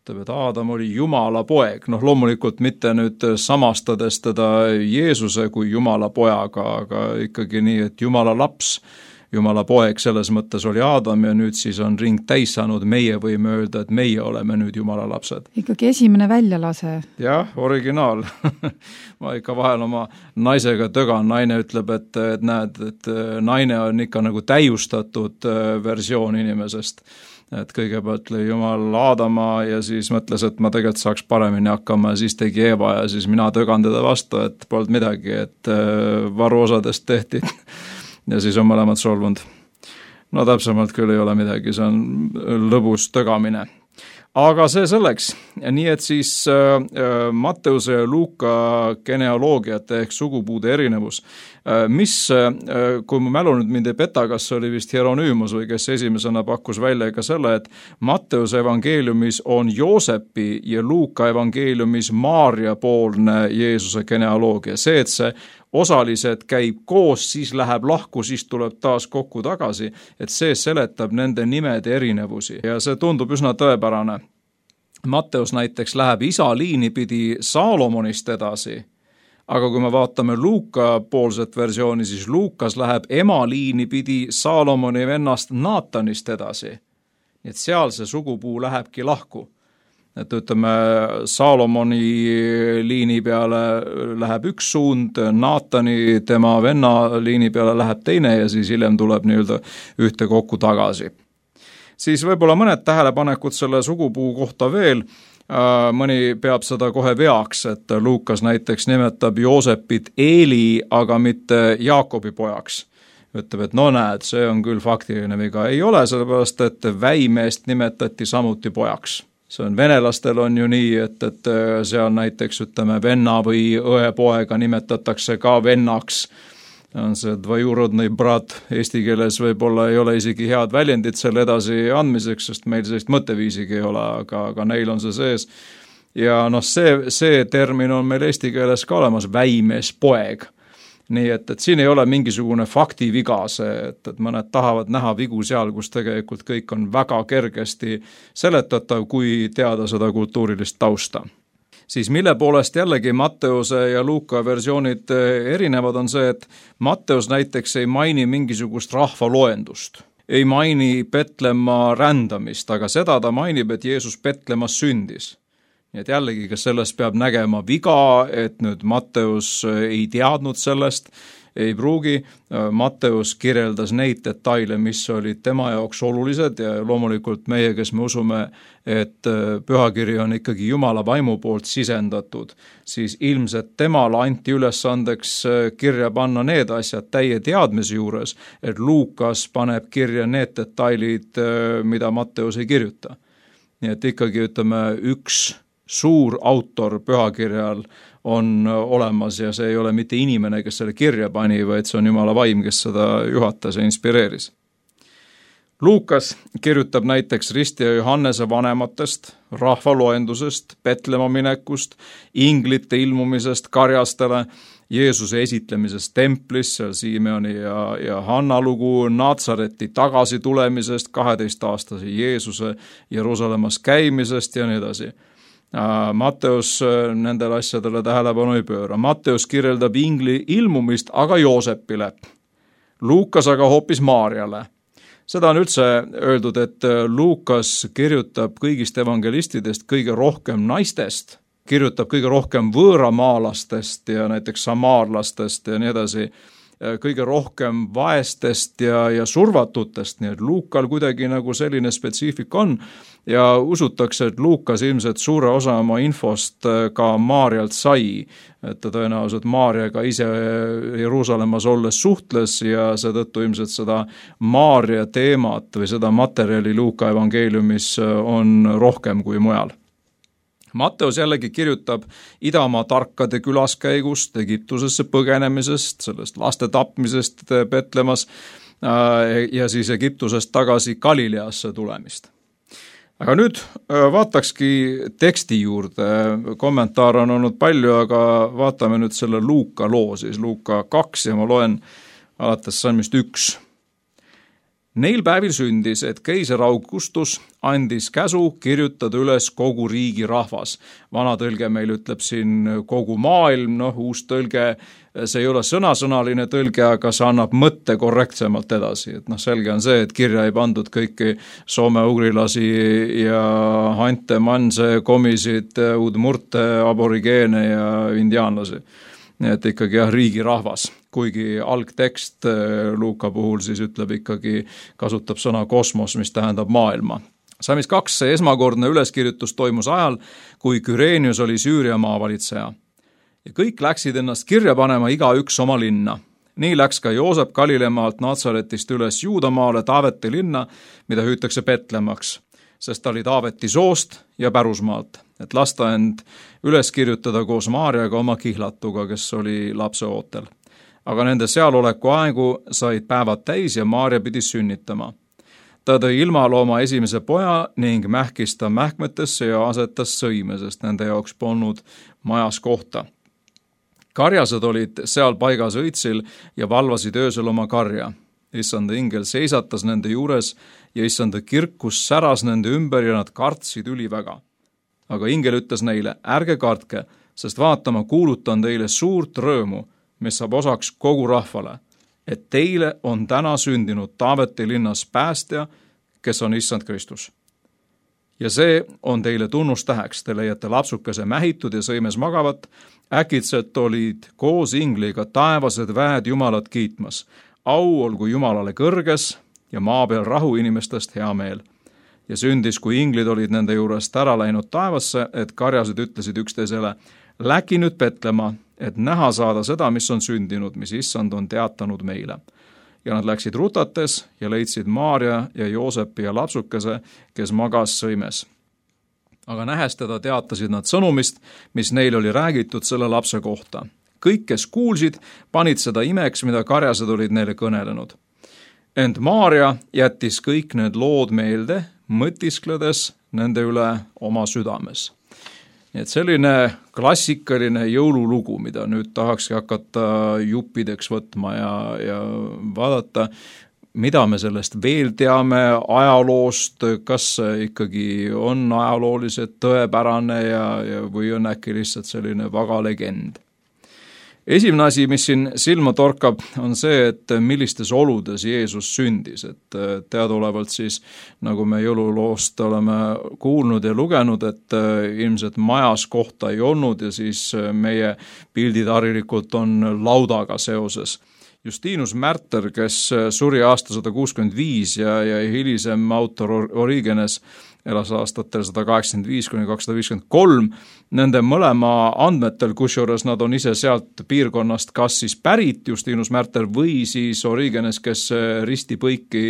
Ütleb, et Aadam oli Jumala poeg, loomulikult mitte nüüd samastades teda Jeesuse kui Jumala pojaga, aga ikkagi nii, et Jumala laps, Jumala poeg selles mõttes oli Aadam ja nüüd siis on ring täis saanud, meie võime öelda, et meie oleme nüüd Jumala lapsed. Ikkagi esimene väljalase. Jah, originaal. Ma ikka vahel oma naisega tögan, naine ütleb, et näed, et naine on ikka nagu täiustatud versioon inimesest. Et kõigepealt lõi Jumal Aadama ja siis mõtles, et ma tegelikult saaks paremini hakkama ja siis tegi Eeva ja siis mina tögan teda vastu, et polnud midagi, et varuosadest tehti. Ja siis on mõlemad solvunud. Täpsemalt küll ei ole midagi, see on lõbus tögamine. Aga see selleks, nii et siis Matteuse ja Luuka genealoogiate ehk sugupuude erinevus, mis, kui mu mälu nüüd mind ei peta, kas oli vist Hieronüümus või kes esimesena pakkus välja ka selle, et Matteuse evangeeliumis on Joosepi ja Luuka evangeeliumis Maaria poolne Jeesuse genealoogia. See, et see osalised käib koos, siis läheb lahku, siis tuleb taas kokku tagasi, et see seletab nende nimede erinevusi ja see tundub üsna tõepärane. Matteus näiteks läheb isa liini pidi Saalomonist edasi, aga kui me vaatame Luuka poolset versiooni, siis Luukas läheb ema liini pidi Saalomoni vennast Naatanist edasi. Nii et seal see sugupuu lähebki lahku. Et ütleme, Saalomoni liini peale läheb üks suund, Naatani tema venna liini peale läheb teine ja siis hiljem tuleb nii-öelda ühte kokku tagasi. Siis võib-olla mõned tähelepanekud selle sugupuu kohta veel. Mõni peab seda kohe veaks, et Luukas näiteks nimetab Joosepit Eeli, aga mitte Jaakobi pojaks. Ütleb, et näed, see on küll faktiline viga. Ei ole, sellepärast, et väimeest nimetati samuti pojaks. See on venelastel on ju nii, et seal näiteks ütleme venna või õe poega nimetatakse ka vennaks. On see dvajurodnõi brat, eesti keeles võib-olla ei ole isegi head väljendid selle edasi andmiseks, sest meil sellist mõtteviisigi ei ole, aga neil on see sees. Ja see termin on meil eesti keeles ka olemas, väimees poeg. nii et siin ei ole mingisugune faktiviga see, et mõned tahavad näha vigu seal, kus tegelikult kõik on väga kergesti seletatav, kui teada seda kultuurilist tausta. Siis mille poolest jällegi Matteuse ja Luuka versioonid erinevad on see, et Matteus näiteks ei maini mingisugust rahvaloendust, ei maini Petlemma rändamist, aga seda ta mainib, et Jeesus Petlemmas sündis. Nii et jällegi, kas sellest peab nägema viga, et nüüd Matteus ei teadnud sellest, ei pruugi. Matteus kirjeldas neid detaile, mis olid tema jaoks olulised ja loomulikult meie, kes me usume, et pühakiri on ikkagi Jumala vaimu poolt sisendatud, siis ilmselt temale anti ülesandeks kirja panna need asjad täie teadmise juures, et Luukas paneb kirja need detailid, mida Matteus ei kirjuta. Nii et ikkagi ütleme üks suur autor pühakirjal on olemas ja see ei ole mitte inimene, kes selle kirja pani, vaid see on Jumala vaim, kes seda juhatas ja inspireeris. Luukas kirjutab näiteks Risti ja Johannese vanematest, rahvaloendusest, Petlemma minekust, inglite ilmumisest karjastele, Jeesuse esitlemisest templis, seal Simeoni ja Hanna lugu, Natsareti tagasi tulemisest, 12-aastase Jeesuse Jeruusalemmas käimisest ja nii edasi. Matteus nendele asjadele tähelepanu ei pööra. Matteus kirjeldab ingli ilmumist aga Joosepile, Luukas aga hoopis Maarjale. Seda on üldse öeldud, et Luukas kirjutab kõigist evangelistidest kõige rohkem naistest, kirjutab kõige rohkem võõramaalastest ja näiteks samaarlastest ja nii edasi, kõige rohkem vaestest ja survatutest, nii et Luukal kuidagi nagu selline spetsiifik on ja usutakse, et Luukas ilmselt suure osa oma infost ka Maarjalt sai, et ta tõenäoliselt Maarjaga ise Jeruusalemmas olles suhtles ja seetõttu ilmselt seda Maarja teemat või seda materjali Luuka evangeeliumis on rohkem kui mujal. Matteus jällegi kirjutab idamaa tarkade külaskäigust, Egiptusesse põgenemisest, sellest laste tapmisest Petlemmas ja siis Egiptusest tagasi Galileasse tulemist. Aga nüüd vaatakski teksti juurde, kommentaare on olnud palju, aga vaatame nüüd selle Luuka loo, siis Luuka 2 ja ma loen alates salmist 1. Neil päevil sündis, et keiser Augustus andis käsu kirjutada üles kogu riigi rahvas. Vana tõlge meil ütleb siin kogu maailm, uus tõlge, see ei ole sõnasõnaline tõlge, aga see annab mõtte korrektsemalt edasi. Et selge on see, et kirja ei pandud kõiki soome-ugrilasi ja hante, manse, komisid, udmurte, aborigeene ja indiaanlasi. Et ikkagi riigi rahvas, kuigi algtekst Luuka puhul siis ütleb ikkagi, kasutab sõna kosmos, mis tähendab maailma. Salmis 2 esmakordne üleskirjutus toimus ajal, kui Kyrenius oli Süüria maavalitseja. Ja kõik läksid ennast kirja panema igaüks oma linna. Nii läks ka Joosep Galilemaalt Natsaretist üles Juudamaale Taaveti linna, mida hüütakse Petlemmaks, sest ta oli Taaveti soost ja pärusmaalt, et lasta end üles kirjutada koos Maarjaga oma kihlatuga, kes oli lapse ootel. Aga nende sealoleku aegu said päevad täis ja Maarja pidi sünnitama. Ta tõi ilmalooma esimese poja ning mähkis ta mähkmetesse ja asetas sõime, sest nende jaoks polnud majas kohta. Karjased olid seal paigas õitsil ja valvasid öösel oma karja. Issanda ingel seisatas nende juures ja issanda kirkus säras nende ümber ja nad kartsid üliväga. Aga ingel ütles neile, ärge kartke, sest vaatama kuulutan teile suurt rõõmu, mis saab osaks kogu rahvale, et teile on täna sündinud Taaveti linnas päästja, kes on issand Kristus. Ja see on teile tunnustäheks, te leiate lapsukese mähitud ja sõimes magavat, äkitselt olid koos ingliga taevased väed Jumalat kiitmas. Au olgu Jumalale kõrges ja maa peal rahu inimestest hea meel. Ja sündis, kui inglid olid nende juurest ära läinud taevasse, et karjased ütlesid üksteisele, läki nüüd Petlemma, et näha saada seda, mis on sündinud, mis issand on teatanud meile. Ja nad läksid rutates ja leidsid Maarja ja Joosepi ja lapsukese, kes magas sõimes. Aga nähes teda teatasid nad sõnumist, mis neil oli räägitud selle lapse kohta. Kõik, kes kuulsid, panid seda imeks, mida karjased olid neile kõnelenud. Ent Maarja jättis kõik need lood meelde, mõtiskledes nende üle oma südames. Nii et selline klassikaline jõululugu, mida nüüd tahakski hakata juppideks võtma ja vaadata, mida me sellest veel teame ajaloost, kas see ikkagi on ajalooliselt tõepärane või on äkki lihtsalt selline vaga legend. Esimene asi, mis siin silma torkab, on see, et millistes oludes Jeesus sündis, et teadaolevalt siis, nagu me jõululoost oleme kuulnud ja lugenud, et ilmselt majas kohta ei olnud ja siis meie pildid harilikult on laudaga seoses. Justinus Märter, kes suri aasta 165 ja hilisem autor Origenes elas aastatel 185–253, nende mõlema andmetel, kusjuures nad on ise sealt piirkonnast kas siis pärit, Justinus Märter, või siis Origenes, kes ristipõiki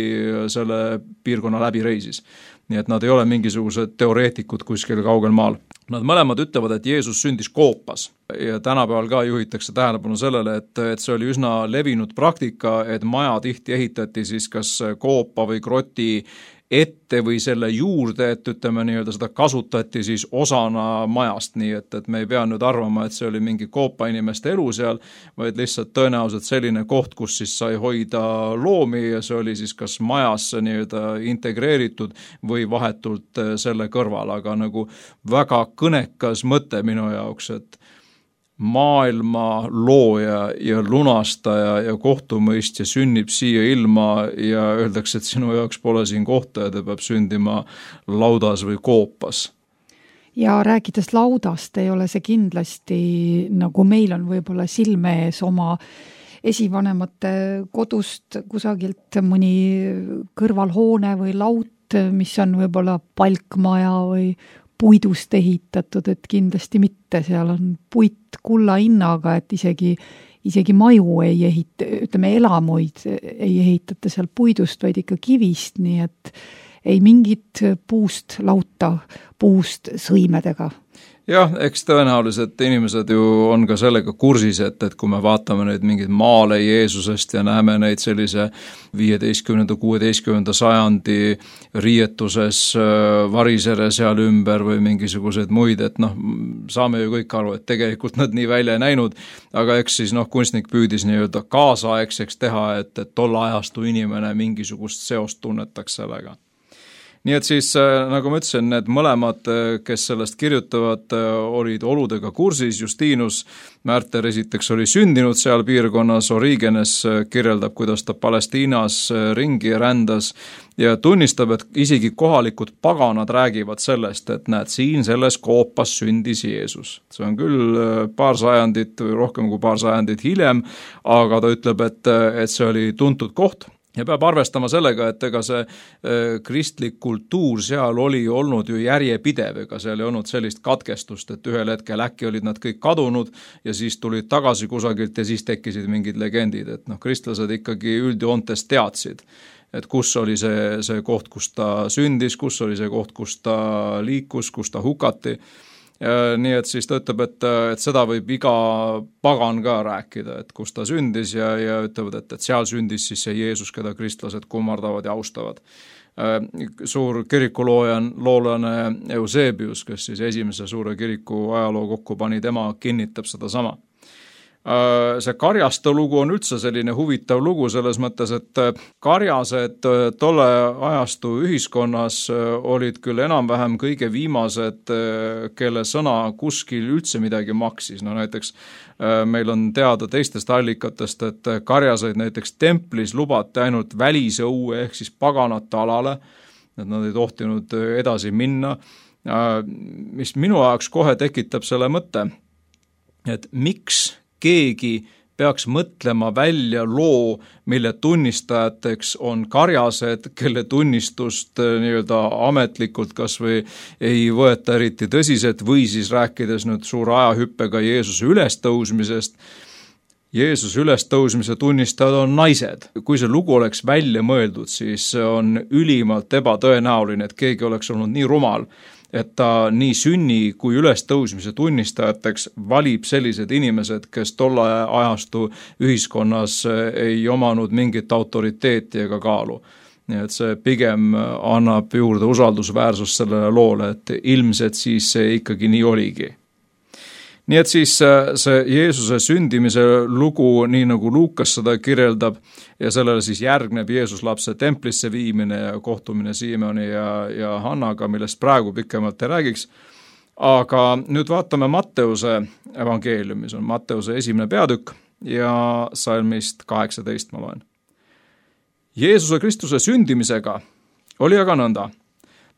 selle piirkonna läbi reisis. Nii et nad ei ole mingisugused teoreetikud kuskil kaugel maal. Nad mõlemad ütlevad, et Jeesus sündis koopas ja tänapäeval ka juhitakse tähelepanu sellele, et see oli üsna levinud praktika, et maja tihti ehitati siis kas koopa või kroti ette või selle juurde, et ütleme nii-öelda seda kasutati siis osana majast, nii et me ei pea nüüd arvama, et see oli mingi koopa inimeste elu seal, vaid lihtsalt tõenäoliselt selline koht, kus siis sai hoida loomi ja see oli siis kas majasse nii-öelda integreeritud või vahetult selle kõrval, aga nagu väga kõnekas mõte minu jaoks, et maailma looja ja lunastaja ja kohtumõistja sünnib siia ilma ja öeldakse, et sinu jaoks pole siin kohta ja ta peab sündima laudas või koopas. Ja rääkides laudast, ei ole see kindlasti, nagu meil on võib-olla silme ees oma esivanemate kodust kusagilt mõni kõrvalhoone või laut, mis on võib-olla palkmaja või puidust ehitatud, et kindlasti mitte, seal on puit kulla hinnaga, et isegi maju ei ehita, ütleme elamuid ei ehitata seal puidust, vaid ikka kivist, nii et ei mingit puust lauta, puust sõimedega. Jah, eks tõenäoliselt inimesed ju on ka sellega kursis, et kui me vaatame neid mingeid maale Jeesusest ja näeme neid sellise 15–16 sajandi riietuses varisere seal ümber või mingisuguseid muid, et saame ju kõik aru, et tegelikult nad nii välja ei näinud, aga eks siis kunstnik püüdis nii-öelda kaasaegseks teha, et tolle ajastu inimene mingisugust seost tunnetaks sellega. Nii et siis, nagu ma ütlesin, need mõlemad, kes sellest kirjutavad, olid oludega kursis. Justinus Märter esiteks oli sündinud seal piirkonnas, Origenes kirjeldab, kuidas ta Palestiinas ringi rändas ja tunnistab, et isegi kohalikud paganad räägivad sellest, et näed, siin selles koopas sündis Jeesus. See on küll paar sajandit või rohkem kui paar sajandit hiljem, aga ta ütleb, et see oli tuntud koht. Ja peab arvestama sellega, et ega see kristlik kultuur seal oli olnud ju järjepidev, ega seal ei olnud sellist katkestust, et ühel hetkel äkki olid nad kõik kadunud ja siis tulid tagasi kusagilt ja siis tekkisid mingid legendid, et kristlased ikkagi üldjoontes teadsid, et kus oli see koht, kus ta sündis, kus oli see koht, kus ta liikus, kus ta hukati. Nii et siis ta ütleb, et seda võib iga pagan ka rääkida, et kus ta sündis ja ütlevad, et seal sündis siis see Jeesus, keda kristlased kummardavad ja austavad. Suur kirikuloolane Eusebius, kes siis esimese suure kiriku ajaloo kokku pani, tema kinnitab seda sama. See karjaste lugu on üldse selline huvitav lugu selles mõttes, et karjased tolle ajastu ühiskonnas olid küll enam-vähem kõige viimased, kelle sõna kuskil üldse midagi maksis. Näiteks meil on teada teistest allikatest, et karjaseid näiteks templis lubati ainult välise õue ehk siis paganate alale, et nad ei tohtinud edasi minna, mis minu jaoks kohe tekitab selle mõtte, et miks keegi peaks mõtlema välja loo, mille tunnistajateks on karjased, kelle tunnistust nii-öelda ametlikult kas või ei võeta eriti tõsiselt või siis rääkides nüüd suure ajahüppega Jeesuse ülestõusmisest. Jeesuse ülestõusmise tunnistajad on naised. Kui see lugu oleks välja mõeldud, siis on ülimalt ebatõenäoline, et keegi oleks olnud nii rumal, et ta nii sünni kui ülestõusmise tunnistajateks valib sellised inimesed, kes tolle ajastu ühiskonnas ei omanud mingit autoriteeti ega kaalu. nii et see pigem annab juurde usaldusväärsust sellele loole, et ilmselt siis see ikkagi nii oligi. Nii et siis see Jeesuse sündimise lugu, nii nagu Luukas seda kirjeldab, ja sellele siis järgneb Jeesuslapse templisse viimine ja kohtumine Siimoni ja Hannaga, millest praegu pikemalt ei räägiks. Aga nüüd vaatame Matteuse evangeeliumi, see on Matteuse 1. peatükk ja salmist 18 ma loen. Jeesuse Kristuse sündimisega oli aga nõnda.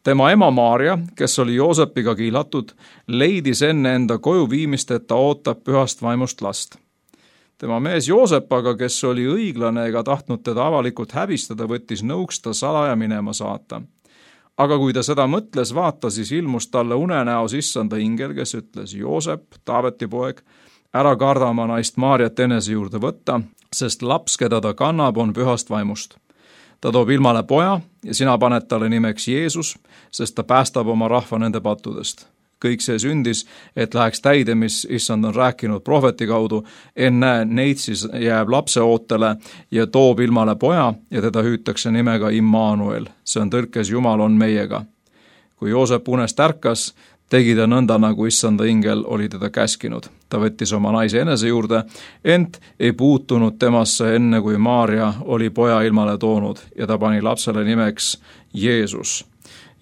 Tema ema Maarja, kes oli Joosepiga kiilatud, leidis enne enda koju viimist, et ta ootab pühast vaimust last. Tema mees Joosep aga, kes oli õiglane ega tahtnud teda avalikult häbistada, võttis nõuks ta salaja minema saata. Aga kui ta seda mõtles, vaata, siis ilmus talle unenäos issanda ingel, kes ütles, Joosep, Taaveti poeg, ära karda oma naist Maarjat enese juurde võtta, sest laps, keda ta kannab, on pühast vaimust. Ta toob ilmale poja ja sina paned talle nimeks Jeesus, sest ta päästab oma rahva nende pattudest. Kõik see sündis, et läheks täide, mis issand on rääkinud prohveti kaudu, enne neid siis jääb lapse ootele ja toob ilmale poja ja teda hüütakse nimega Immanuel. See on tõlkes Jumal on meiega. Kui Joosep unest ärkas, tegi ta nõnda, nagu issanda ingel oli teda käskinud. Ta võttis oma naise enese juurde, ent ei puutunud temasse enne, kui Maarja oli poja ilmale toonud ja ta pani lapsele nimeks Jeesus.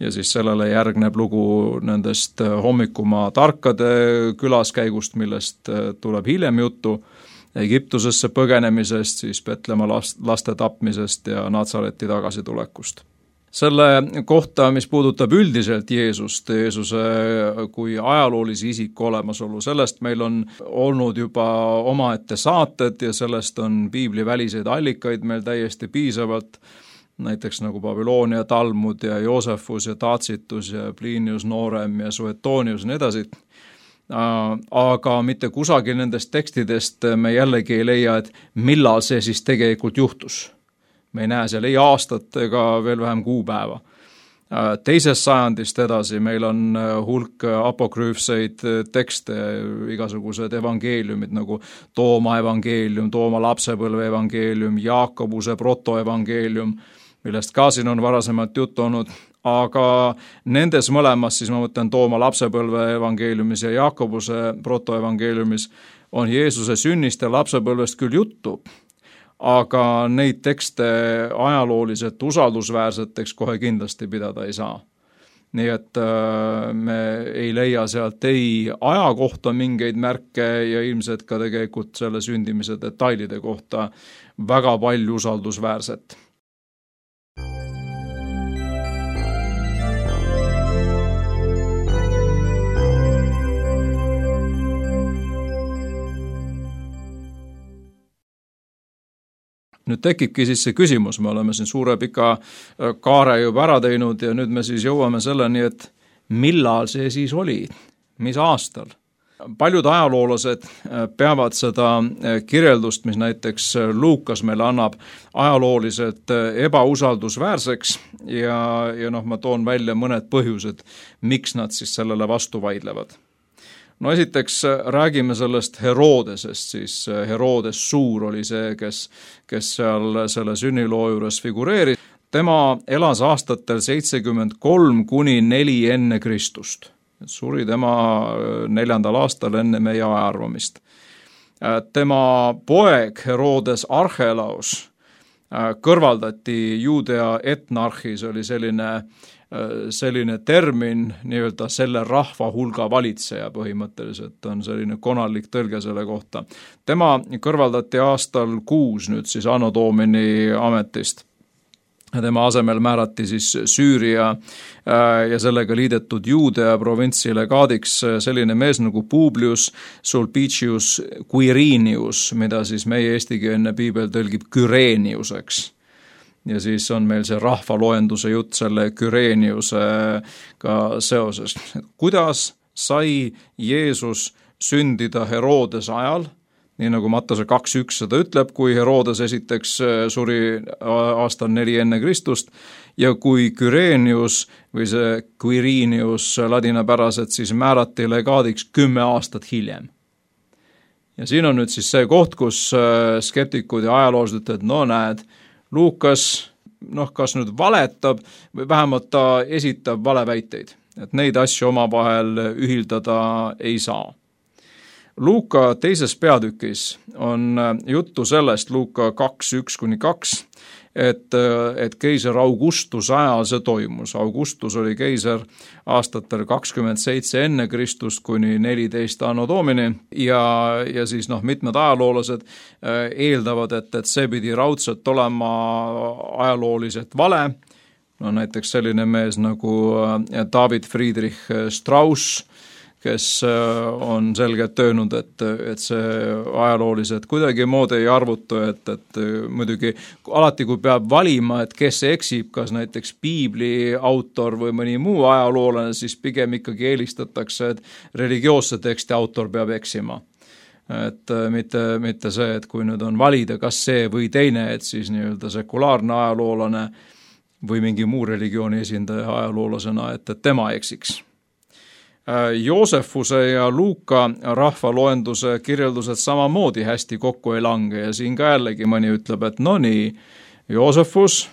Ja siis sellele järgneb lugu nendest hommikumaa tarkade külaskäigust, millest tuleb hiljem juttu, Egiptusesse põgenemisest, siis Betlema laste tapmisest ja Natsareti tagasitulekust. Selle kohta, mis puudutab üldiselt Jeesuse kui ajaloolisi isiku olemasolu, sellest meil on olnud juba omaette saated ja sellest on piibliväliseid allikaid meil täiesti piisavalt, näiteks nagu Babyloonia Talmud ja Joosefus ja Tacitus ja Plinius Noorem ja Suetonius ja nii edasi. Aga mitte kusagil nendest tekstidest me jällegi ei leia, et millal see siis tegelikult juhtus. Me ei näe seal ei aastat ega veel vähem kuupäeva. Teisest sajandist edasi meil on hulk apokrüüfseid tekste, igasugused evangeeliumid nagu Tooma evangeelium, Tooma lapsepõlve evangeelium, Jaakobuse protoevangeelium, millest ka siin on varasemalt juttu olnud, aga nendes mõlemas, siis ma mõtlen Tooma lapsepõlve evangeeliumis ja Jaakobuse protoevangeeliumis on Jeesuse sünnist ja lapsepõlvest küll juttu, aga neid tekste ajalooliselt usaldusväärseteks kohe kindlasti pidada ei saa. Nii et me ei leia sealt ei aja kohta mingeid märke ja ilmselt ka tegelikult selle sündimise detailide kohta väga palju usaldusväärset. Nüüd tekibki siis see küsimus, me oleme siin suure pika kaare juba ära teinud ja nüüd me siis jõuame selleni, et millal see siis oli, mis aastal. Paljud ajaloolased peavad seda kirjeldust, mis näiteks Luukas meile annab, ajalooliselt ebausaldusväärseks ja ma toon välja mõned põhjused, miks nad siis sellele vastu vaidlevad. No esiteks räägime sellest Herodesest, siis Herodes Suur oli see, kes seal selle sünniloo juures figureeris. Tema elas aastatel 73 kuni 4 enne Kristust. Suri tema 4. aastal enne meie ajaarvamist. Tema poeg Herodes Archelaus kõrvaldati Juudea etnarhis, oli selline termin, nii-öelda selle rahva hulga valitseja põhimõtteliselt on selline konalik tõlge selle kohta. Tema kõrvaldati aastal 6 nüüd siis Anno Domini ametist. Tema asemel määrati siis Süüria ja sellega liidetud Juudea provintsi legaadiks selline mees nagu Publius Sulpicius Quirinius, mida siis meie eestikeelne piibel tõlgib Kyreniuseks. Ja siis on meil see rahvaloenduse jutt selle Kyreniusega seoses. Kuidas sai Jeesus sündida Herodes ajal, nii nagu Mattuse 2.1 seda ütleb, kui Herodes esiteks suri aastal 4 enne Kristust ja kui Kyrenius või see Quirinius ladinapäraselt siis määrati legaadiks 10 aastat hiljem. Ja siin on nüüd siis see koht, kus skeptikud ja ajaloolased ütlevad, no näed, Luukas kas nüüd valetab või vähemalt ta esitab valeväiteid. Et neid asju omavahel ühildada ei saa. Luuka 2. peatükis on juttu sellest, Luuka 2:1-2, et keiser Augustus ajal see toimus. Augustus oli keiser aastatel 27 enne Kristust kuni 14 anno domini ja siis mitmed ajaloolased eeldavad, et see pidi raudselt olema ajalooliselt vale. Näiteks selline mees nagu David Friedrich Strauss, kes on selgelt öelnud, et see ajalooliselt kuidagi moodi ei arvutu, et muidugi alati, kui peab valima, et kes eksib, kas näiteks piibli autor või mõni muu ajaloolane, siis pigem ikkagi eelistatakse, et religioosse teksti autor peab eksima. Et mitte see, et kui nüüd on valida, kas see või teine, et siis nii-öelda sekulaarne ajaloolane või mingi muu religiooni esindaja ajaloolasena, et tema eksiks. Joosefuse ja Luuka rahvaloenduse kirjeldused samamoodi hästi kokku ei lange ja siin ka jällegi mõni ütleb, et no nii, Joosefus,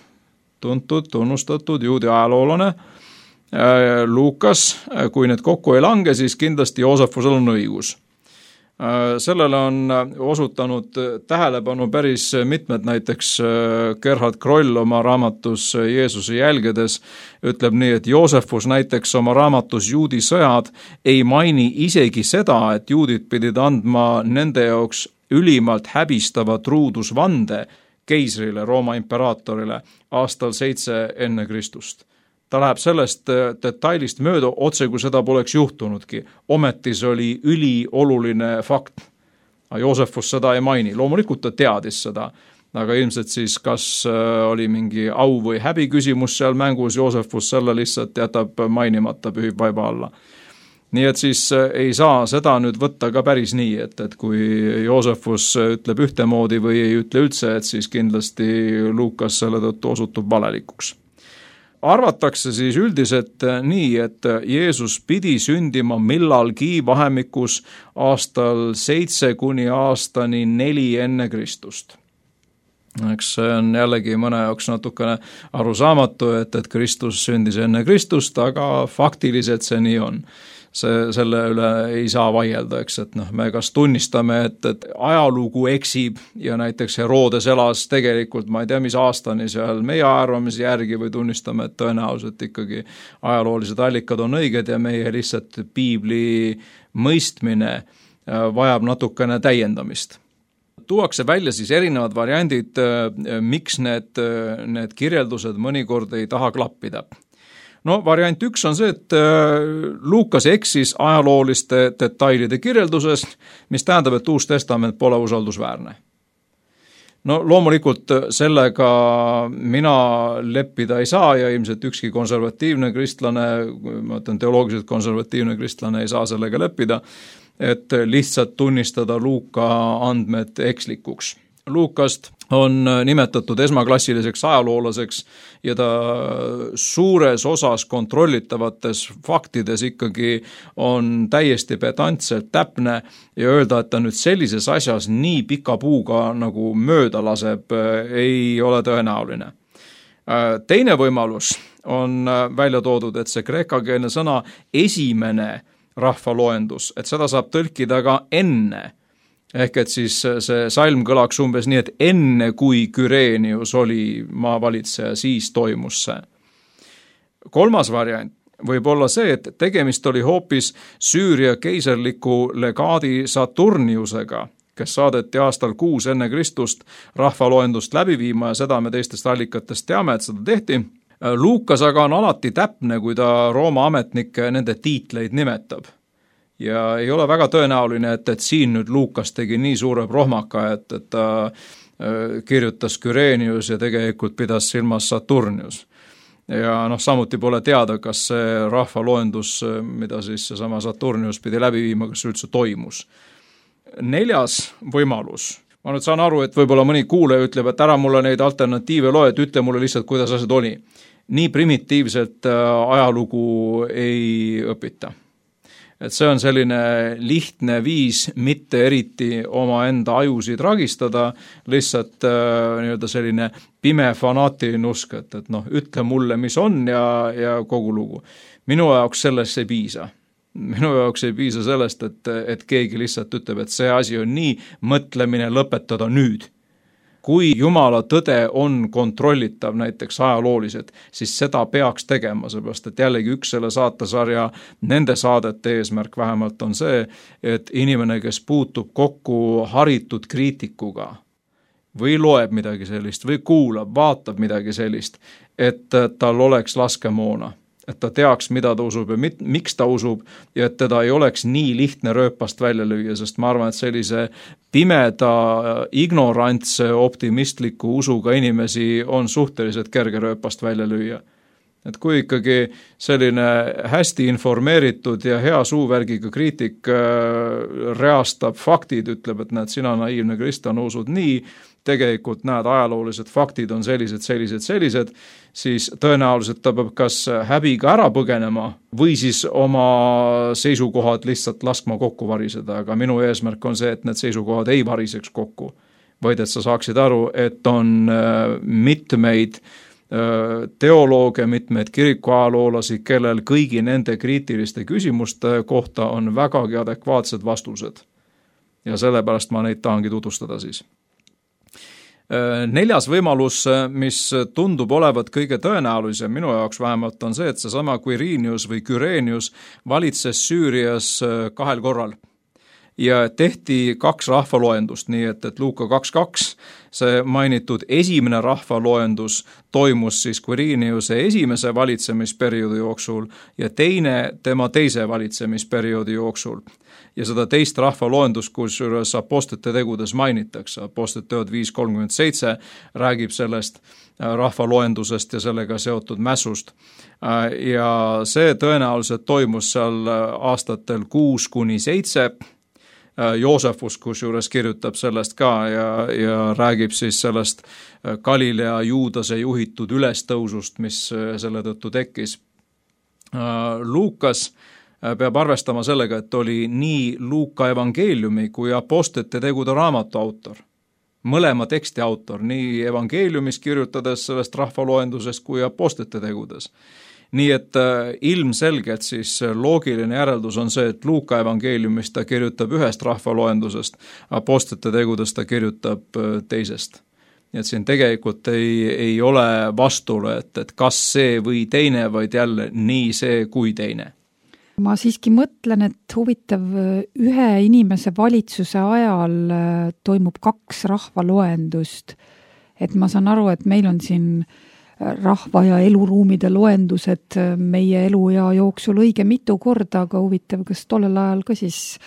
tuntud, tunnustatud juudi ajaloolane, Luukas, kui need kokku ei lange, siis kindlasti Joosefusel on õigus. Sellele on osutanud tähelepanu päris mitmed, näiteks Gerhard Kroll oma raamatus Jeesuse jälgedes ütleb nii, et Joosefus näiteks oma raamatus Juudi sõjad ei maini isegi seda, et juudid pidid andma nende jaoks ülimalt häbistava truudusvande keisrile, Rooma imperaatorile aastal 7 enne Kristust. Ta läheb sellest detailist mööda, otse kui seda poleks juhtunudki. Ometi see oli ülioluline fakt. Joosefus seda ei maini. Loomulikult ta teadis seda, aga ilmselt siis kas oli mingi au või häbi küsimus seal mängus, Joosefus selle lihtsalt jätab mainimata, pühib vaiba alla. Nii et siis ei saa seda nüüd võtta ka päris nii, et kui Joosefus ütleb ühtemoodi või ei ütle üldse, et siis kindlasti Luukas selle tõttu osutub valelikuks. Arvatakse siis üldiselt nii, et Jeesus pidi sündima millalgi vahemikus aastal 7 kuni aastani 4 enne Kristust. Eks see on jällegi mõne jaoks natukene arusaamatu, et Kristus sündis enne Kristust, aga faktiliselt see nii on. Selle üle ei saa vaielda, eks, et me kas tunnistame, et ajalugu eksib ja näiteks Herodes elas tegelikult, ma ei tea, mis aastani seal meie arvamise järgi või tunnistame, et tõenäoliselt ikkagi ajaloolised allikad on õiged ja meie lihtsalt piibli mõistmine vajab natukene täiendamist. Tuuakse välja siis erinevad variandid, miks need kirjeldused mõnikord ei taha klappida. Variant 1 on see, et Luukas eksis ajalooliste detailide kirjeldusest, mis tähendab, et Uus Testament pole usaldusväärne. Loomulikult sellega mina leppida ei saa ja ilmselt ükski konservatiivne kristlane, ma ütlen teoloogiliselt konservatiivne kristlane ei saa sellega leppida, et lihtsalt tunnistada Luuka andmed ekslikuks. Luukast on nimetatud esmaklassiliseks ajaloolaseks ja ta suures osas kontrollitavates faktides ikkagi on täiesti pedantselt täpne ja öelda, et ta nüüd sellises asjas nii pika puuga nagu mööda laseb, ei ole tõenäoline. Teine võimalus on välja toodud, et see kreekakeelne sõna esimene rahvaloendus, et seda saab tõlkida ka enne. Ehk et siis see salm kõlaks umbes nii, et enne kui Küreenius oli maavalitseja, siis toimus see. Kolmas variant võib olla see, et tegemist oli hoopis Süüria keiserliku legaadi Saturniusega, kes saadeti aastal 6 enne Kristust rahvaloendust läbi viima ja seda me teistest allikatest teame, et seda tehti. Luukas aga on alati täpne, kui ta Rooma ametnikke nende tiitleid nimetab. Ja ei ole väga tõenäoline, et siin nüüd Luukas tegi nii suure prohmaka, et ta kirjutas Küreenius ja tegelikult pidas silmas Saturnius. Ja samuti pole teada, kas see rahvaloendus, mida siis seesama Saturnius pidi läbi viima, kas üldse toimus. 4. võimalus. Ma nüüd saan aru, et võib-olla mõni kuulaja ütleb, et ära mulle neid alternatiive loe, et ütle mulle lihtsalt, kuidas asjad oli. Nii primitiivselt ajalugu ei õpita. Et see on selline lihtne viis mitte eriti omaenda ajusid ragistada, lihtsalt nii-öelda selline pime fanaatiline usk, et ütle mulle, mis on ja kogu lugu. Minu jaoks sellest ei piisa. Minu jaoks ei piisa sellest, et keegi lihtsalt ütleb, et see asi on nii, mõtlemine lõpetada nüüd. Kui Jumala tõde on kontrollitav näiteks ajalooliselt, siis seda peaks tegema, seepärast et jällegi üks selle saatesarja nende saadete eesmärk vähemalt on see, et inimene, kes puutub kokku haritud kriitikuga või loeb midagi sellist või kuulab, vaatab midagi sellist, et tal oleks laskemoona, et ta teaks, mida ta usub ja miks ta usub ja et teda ei oleks nii lihtne rööpast välja lüüa, sest ma arvan, et sellise pimeda, ignorantse, optimistliku usuga inimesi on suhteliselt kerge rööpast välja lüüa. Et kui ikkagi selline hästi informeeritud ja hea suuvärgiga kriitik reastab faktid, ütleb, et näed, sina naiivne kristlane usud nii, tegelikult näed, ajaloolised faktid on sellised, siis tõenäoliselt ta peab kas häbiga ära põgenema või siis oma seisukohad lihtsalt laskma kokku variseda, aga minu eesmärk on see, et need seisukohad ei variseks kokku, vaid et sa saaksid aru, et on mitmeid teolooge, mitmeid kirikuajaloolasi, kellel kõigi nende kriitiliste küsimuste kohta on vägagi adekvaatsed vastused. Ja sellepärast ma neid tahangi tutvustada siis. Neljas võimalus, mis tundub olevat kõige tõenäolisem minu jaoks vähemalt on see, et seesama Quirinius või Kyrenius valitses Süürias 2 korral. Ja tehti 2 rahvaloendust, nii et Luuka 2.2, see mainitud esimene rahvaloendus toimus siis Quiriniuse esimese valitsemisperioodi jooksul ja teine tema teise valitsemisperioodi jooksul. Ja seda teist rahvaloendust, kusjuures apostlite tegudes mainitakse. Apostlite teod 5.37 räägib sellest rahvaloendusest ja sellega seotud mässust. Ja see tõenäoliselt toimus seal aastatel 6-7. Joosefus, kusjuures kirjutab sellest ka ja räägib siis sellest Galilea Juudase juhitud ülestõusust, mis selle tõttu tekkis. Luukas peab arvestama sellega, et oli nii Luuka evangeeliumi kui apostlite tegude raamatu autor. Mõlema teksti autor, nii evangeeliumis kirjutades sellest rahvaloendusest kui apostlite tegudes. Nii et ilmselgelt siis loogiline järeldus on see, et Luuka evangeeliumist ta kirjutab ühest rahvaloendusest, apostlite tegudest ta kirjutab teisest. Nii et siin tegelikult ei ole vastule, et kas see või teine, vaid jälle nii see kui teine. Ma siiski mõtlen, et huvitav, ühe inimese valitsuse ajal toimub 2 rahvaloendust. Et ma saan aru, et meil on siin rahva ja eluruumide loendused meie eluea jooksul õige mitu korda, aga huvitav, kas tollel ajal ka siis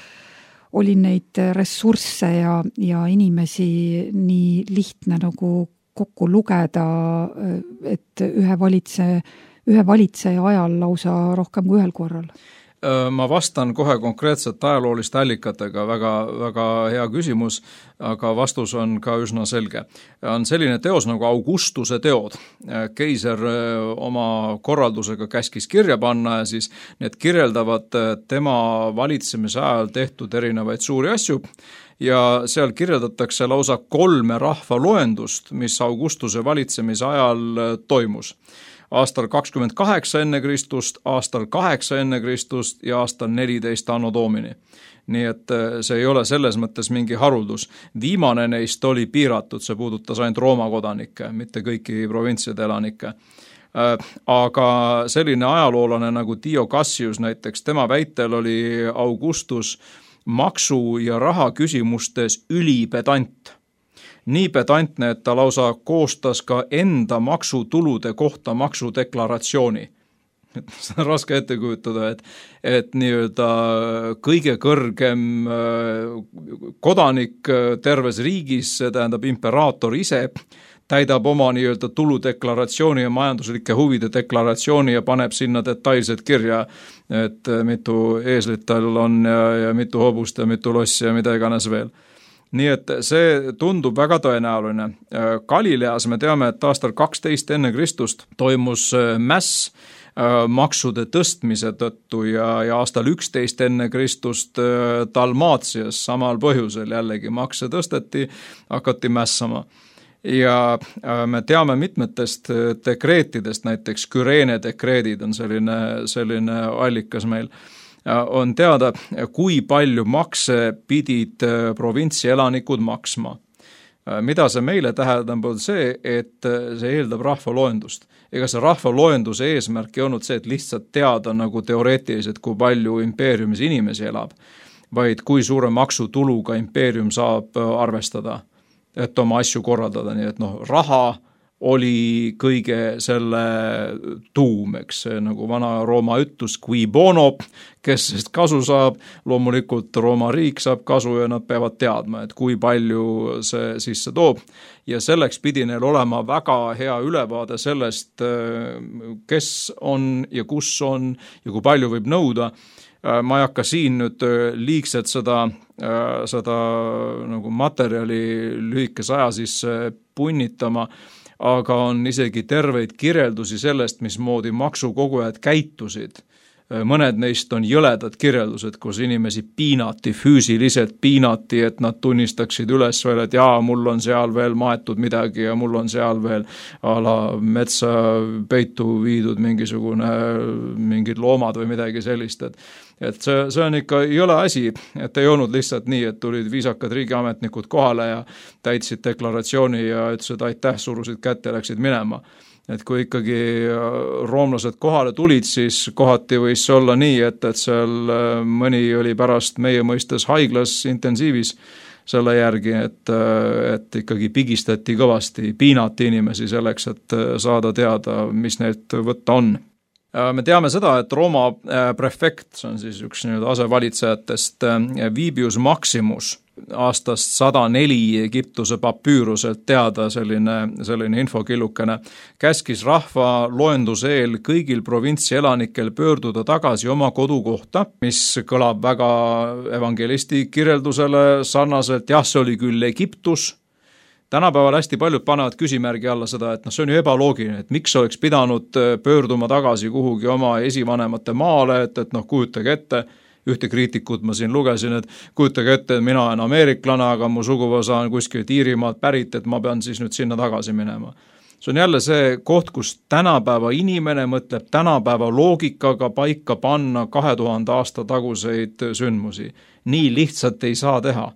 oli neid ressursse ja inimesi nii lihtne nagu kokku lugeda, et ühe valitseja ajal lausa rohkem kui 1 korral? Ma vastan kohe konkreetselt ajalooliste allikatega, väga, väga hea küsimus, aga vastus on ka üsna selge. On selline teos nagu Augustuse teod. Keiser oma korraldusega käskis kirja panna ja siis need kirjeldavad tema valitsemise ajal tehtud erinevaid suuri asju ja seal kirjeldatakse lausa 3 rahvaloendust, mis Augustuse valitsemise ajal toimus. Aastal 28 enne Kristust, aastal 8 enne Kristust ja aastal 14 anno domini. Nii et see ei ole selles mõttes mingi haruldus. Viimane neist oli piiratud, see puudutas ainult Rooma kodanikke, mitte kõiki provintside elanikke. Aga selline ajaloolane nagu Dio Cassius näiteks, tema väitel oli Augustus maksu- ja raha küsimustes ülipedant. Nii pedantne, et ta lausa koostas ka enda maksutulude kohta maksudeklaratsiooni. See on raske ette kujutada, et nii-öelda kõige kõrgem kodanik terves riigis, see tähendab imperaator ise, täidab oma nii-öelda tuludeklaratsiooni ja majanduslike huvide deklaratsiooni ja paneb sinna detailselt kirja, et mitu eeslit tal on ja mitu hobust ja mitu lossi ja mida iganes veel. Nii et see tundub väga tõenäoline. Galileas me teame, et aastal 12 enne Kristust toimus mäss, maksude tõstmise tõttu ja aastal 11 enne Kristust Dalmaatias samal põhjusel jällegi makse tõsteti, hakati mässama. Ja me teame mitmetest dekreetidest, näiteks Küreene dekreedid on selline allikas meil, on teada, kui palju makse pidid provintsi elanikud maksma. Mida see meile tähendab, on see, et see eeldab rahvaloendust. Ega see rahvaloenduse eesmärk ei olnud see, et lihtsalt teada nagu teoreetiliselt, kui palju impeeriumis inimesi elab, vaid kui suure maksutuluga impeerium saab arvestada, et oma asju korraldada, nii et raha oli kõige selle tuum, eks see nagu vana Rooma ütlus, qui bono, kes sest kasu saab, loomulikult Rooma riik saab kasu ja nad peavad teadma, et kui palju see sisse toob. Ja selleks pidi neil olema väga hea ülevaade sellest, kes on ja kus on ja kui palju võib nõuda. Ma ei hakka siin nüüd liigselt seda nagu materjali lühikese aja sisse punnitama, aga on isegi terveid kirjeldusi sellest, mismoodi maksukogujad käitusid. Mõned neist on jõledad kirjeldused, kus inimesi piinati, füüsiliselt piinati, et nad tunnistaksid üles veel, et jaa, mul on seal veel maetud midagi ja mul on seal veel metsa peitu viidud mingid loomad või midagi sellist, et see on ikka jõle asi, et ei olnud lihtsalt nii, et tulid viisakad riigiametnikud kohale ja täitsid deklaratsiooni ja ütlesid aitäh, surusid kätte ja läksid minema. Et kui ikkagi roomlased kohale tulid, siis kohati võis olla nii, et seal mõni oli pärast meie mõistes haiglas intensiivis selle järgi, et ikkagi pigistati kõvasti, piinati inimesi selleks, et saada teada, mis neilt võtta on. Me teame seda, et Rooma prefekt, see on siis üks asevalitsejatest, Vibius Maximus, aastast 104 Egiptuse papüüruselt teada selline infokillukene, käskis rahva loenduse eel kõigil provintsi elanikel pöörduda tagasi oma kodukohta, mis kõlab väga evangelisti kirjeldusele sarnaselt, jah, see oli küll Egiptus. Tänapäeval hästi paljud panevad küsimärgi alla seda, et see on ju ebaloogiline, et miks oleks pidanud pöörduma tagasi kuhugi oma esivanemate maale, et kujutage ette, ühte kriitikut ma siin lugesin, et kujutage ette, et mina olen ameeriklane, aga mu suguvõsa on kuskilt Iirimaalt pärit, et ma pean siis nüüd sinna tagasi minema. See on jälle see koht, kus tänapäeva inimene mõtleb tänapäeva loogikaga paika panna 2000 aasta taguseid sündmusi. Nii lihtsalt ei saa teha.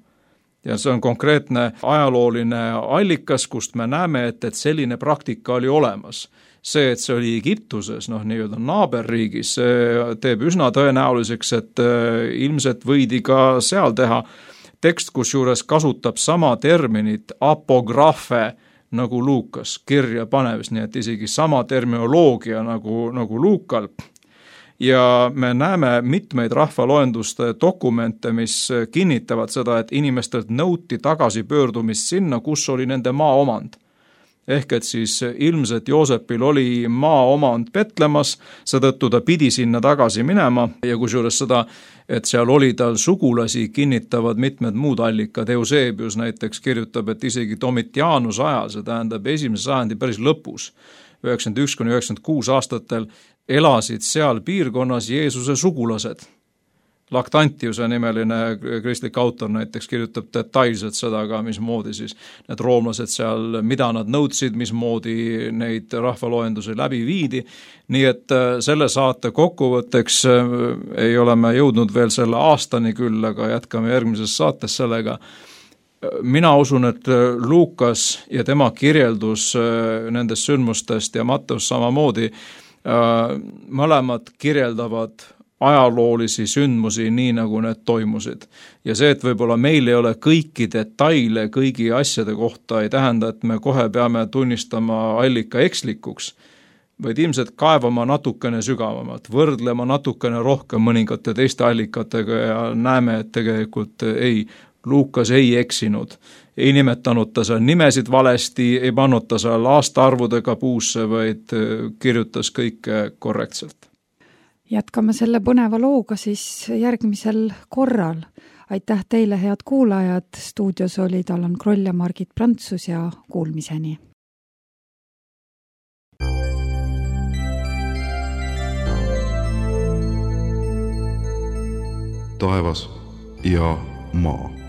Ja see on konkreetne ajalooline allikas, kust me näeme, et selline praktika oli olemas. See, et see oli Egiptuses, nii-öelda naaberriigis, teeb üsna tõenäoliseks, et ilmselt võidi ka seal teha tekst, kus juures kasutab sama terminit apograafe nagu Luukas kirja panevis, nii et isegi sama terminoloogia nagu Luukal. Ja me näeme mitmeid rahvaloenduste dokumente, mis kinnitavad seda, et inimestelt nõuti tagasi pöördumist sinna, kus oli nende maaomand. Ehk et siis ilmselt Joosepil oli maaomand Petlemas, seetõttu ta pidi sinna tagasi minema ja kusjuures seda, et seal oli tal sugulasi, kinnitavad mitmed muud allikad. Eusebius näiteks kirjutab, et isegi Domitianuse ajal, see tähendab 1. sajandi päris lõpus, 91–96 aastatel elasid seal piirkonnas Jeesuse sugulased. Lactantiuse nimeline kristlik autor näiteks kirjutab detailselt seda ka, mismoodi siis need roomlased seal, mida nad nõudsid, mismoodi neid rahvaloendusi läbi viidi. Nii et selle saate kokkuvõtteks ei ole me jõudnud veel selle aastani küll, aga jätkame järgmises saates sellega. Mina usun, et Luukas ja tema kirjeldus nendest sündmustest ja Matteus samamoodi mõlemad kirjeldavad ajaloolisi sündmusi nii, nagu need toimusid. Ja see, et võib-olla meil ei ole kõiki detaile kõigi asjade kohta, ei tähenda, et me kohe peame tunnistama allika ekslikuks, vaid ilmselt kaevama natukene sügavamalt, võrdlema natukene rohkem mõningate teiste allikatega ja näeme, et tegelikult Luukas ei eksinud. Ei nimetanud ta seal nimesid valesti, ei pannud ta seal aastaarvudega puusse, vaid kirjutas kõike korrektselt. Jätkame selle põneva looga siis järgmisel korral. Aitäh teile, head kuulajad. Stuudios olid Allan Kroll ja Margit Prantsus ja kuulmiseni. taevas ja maa.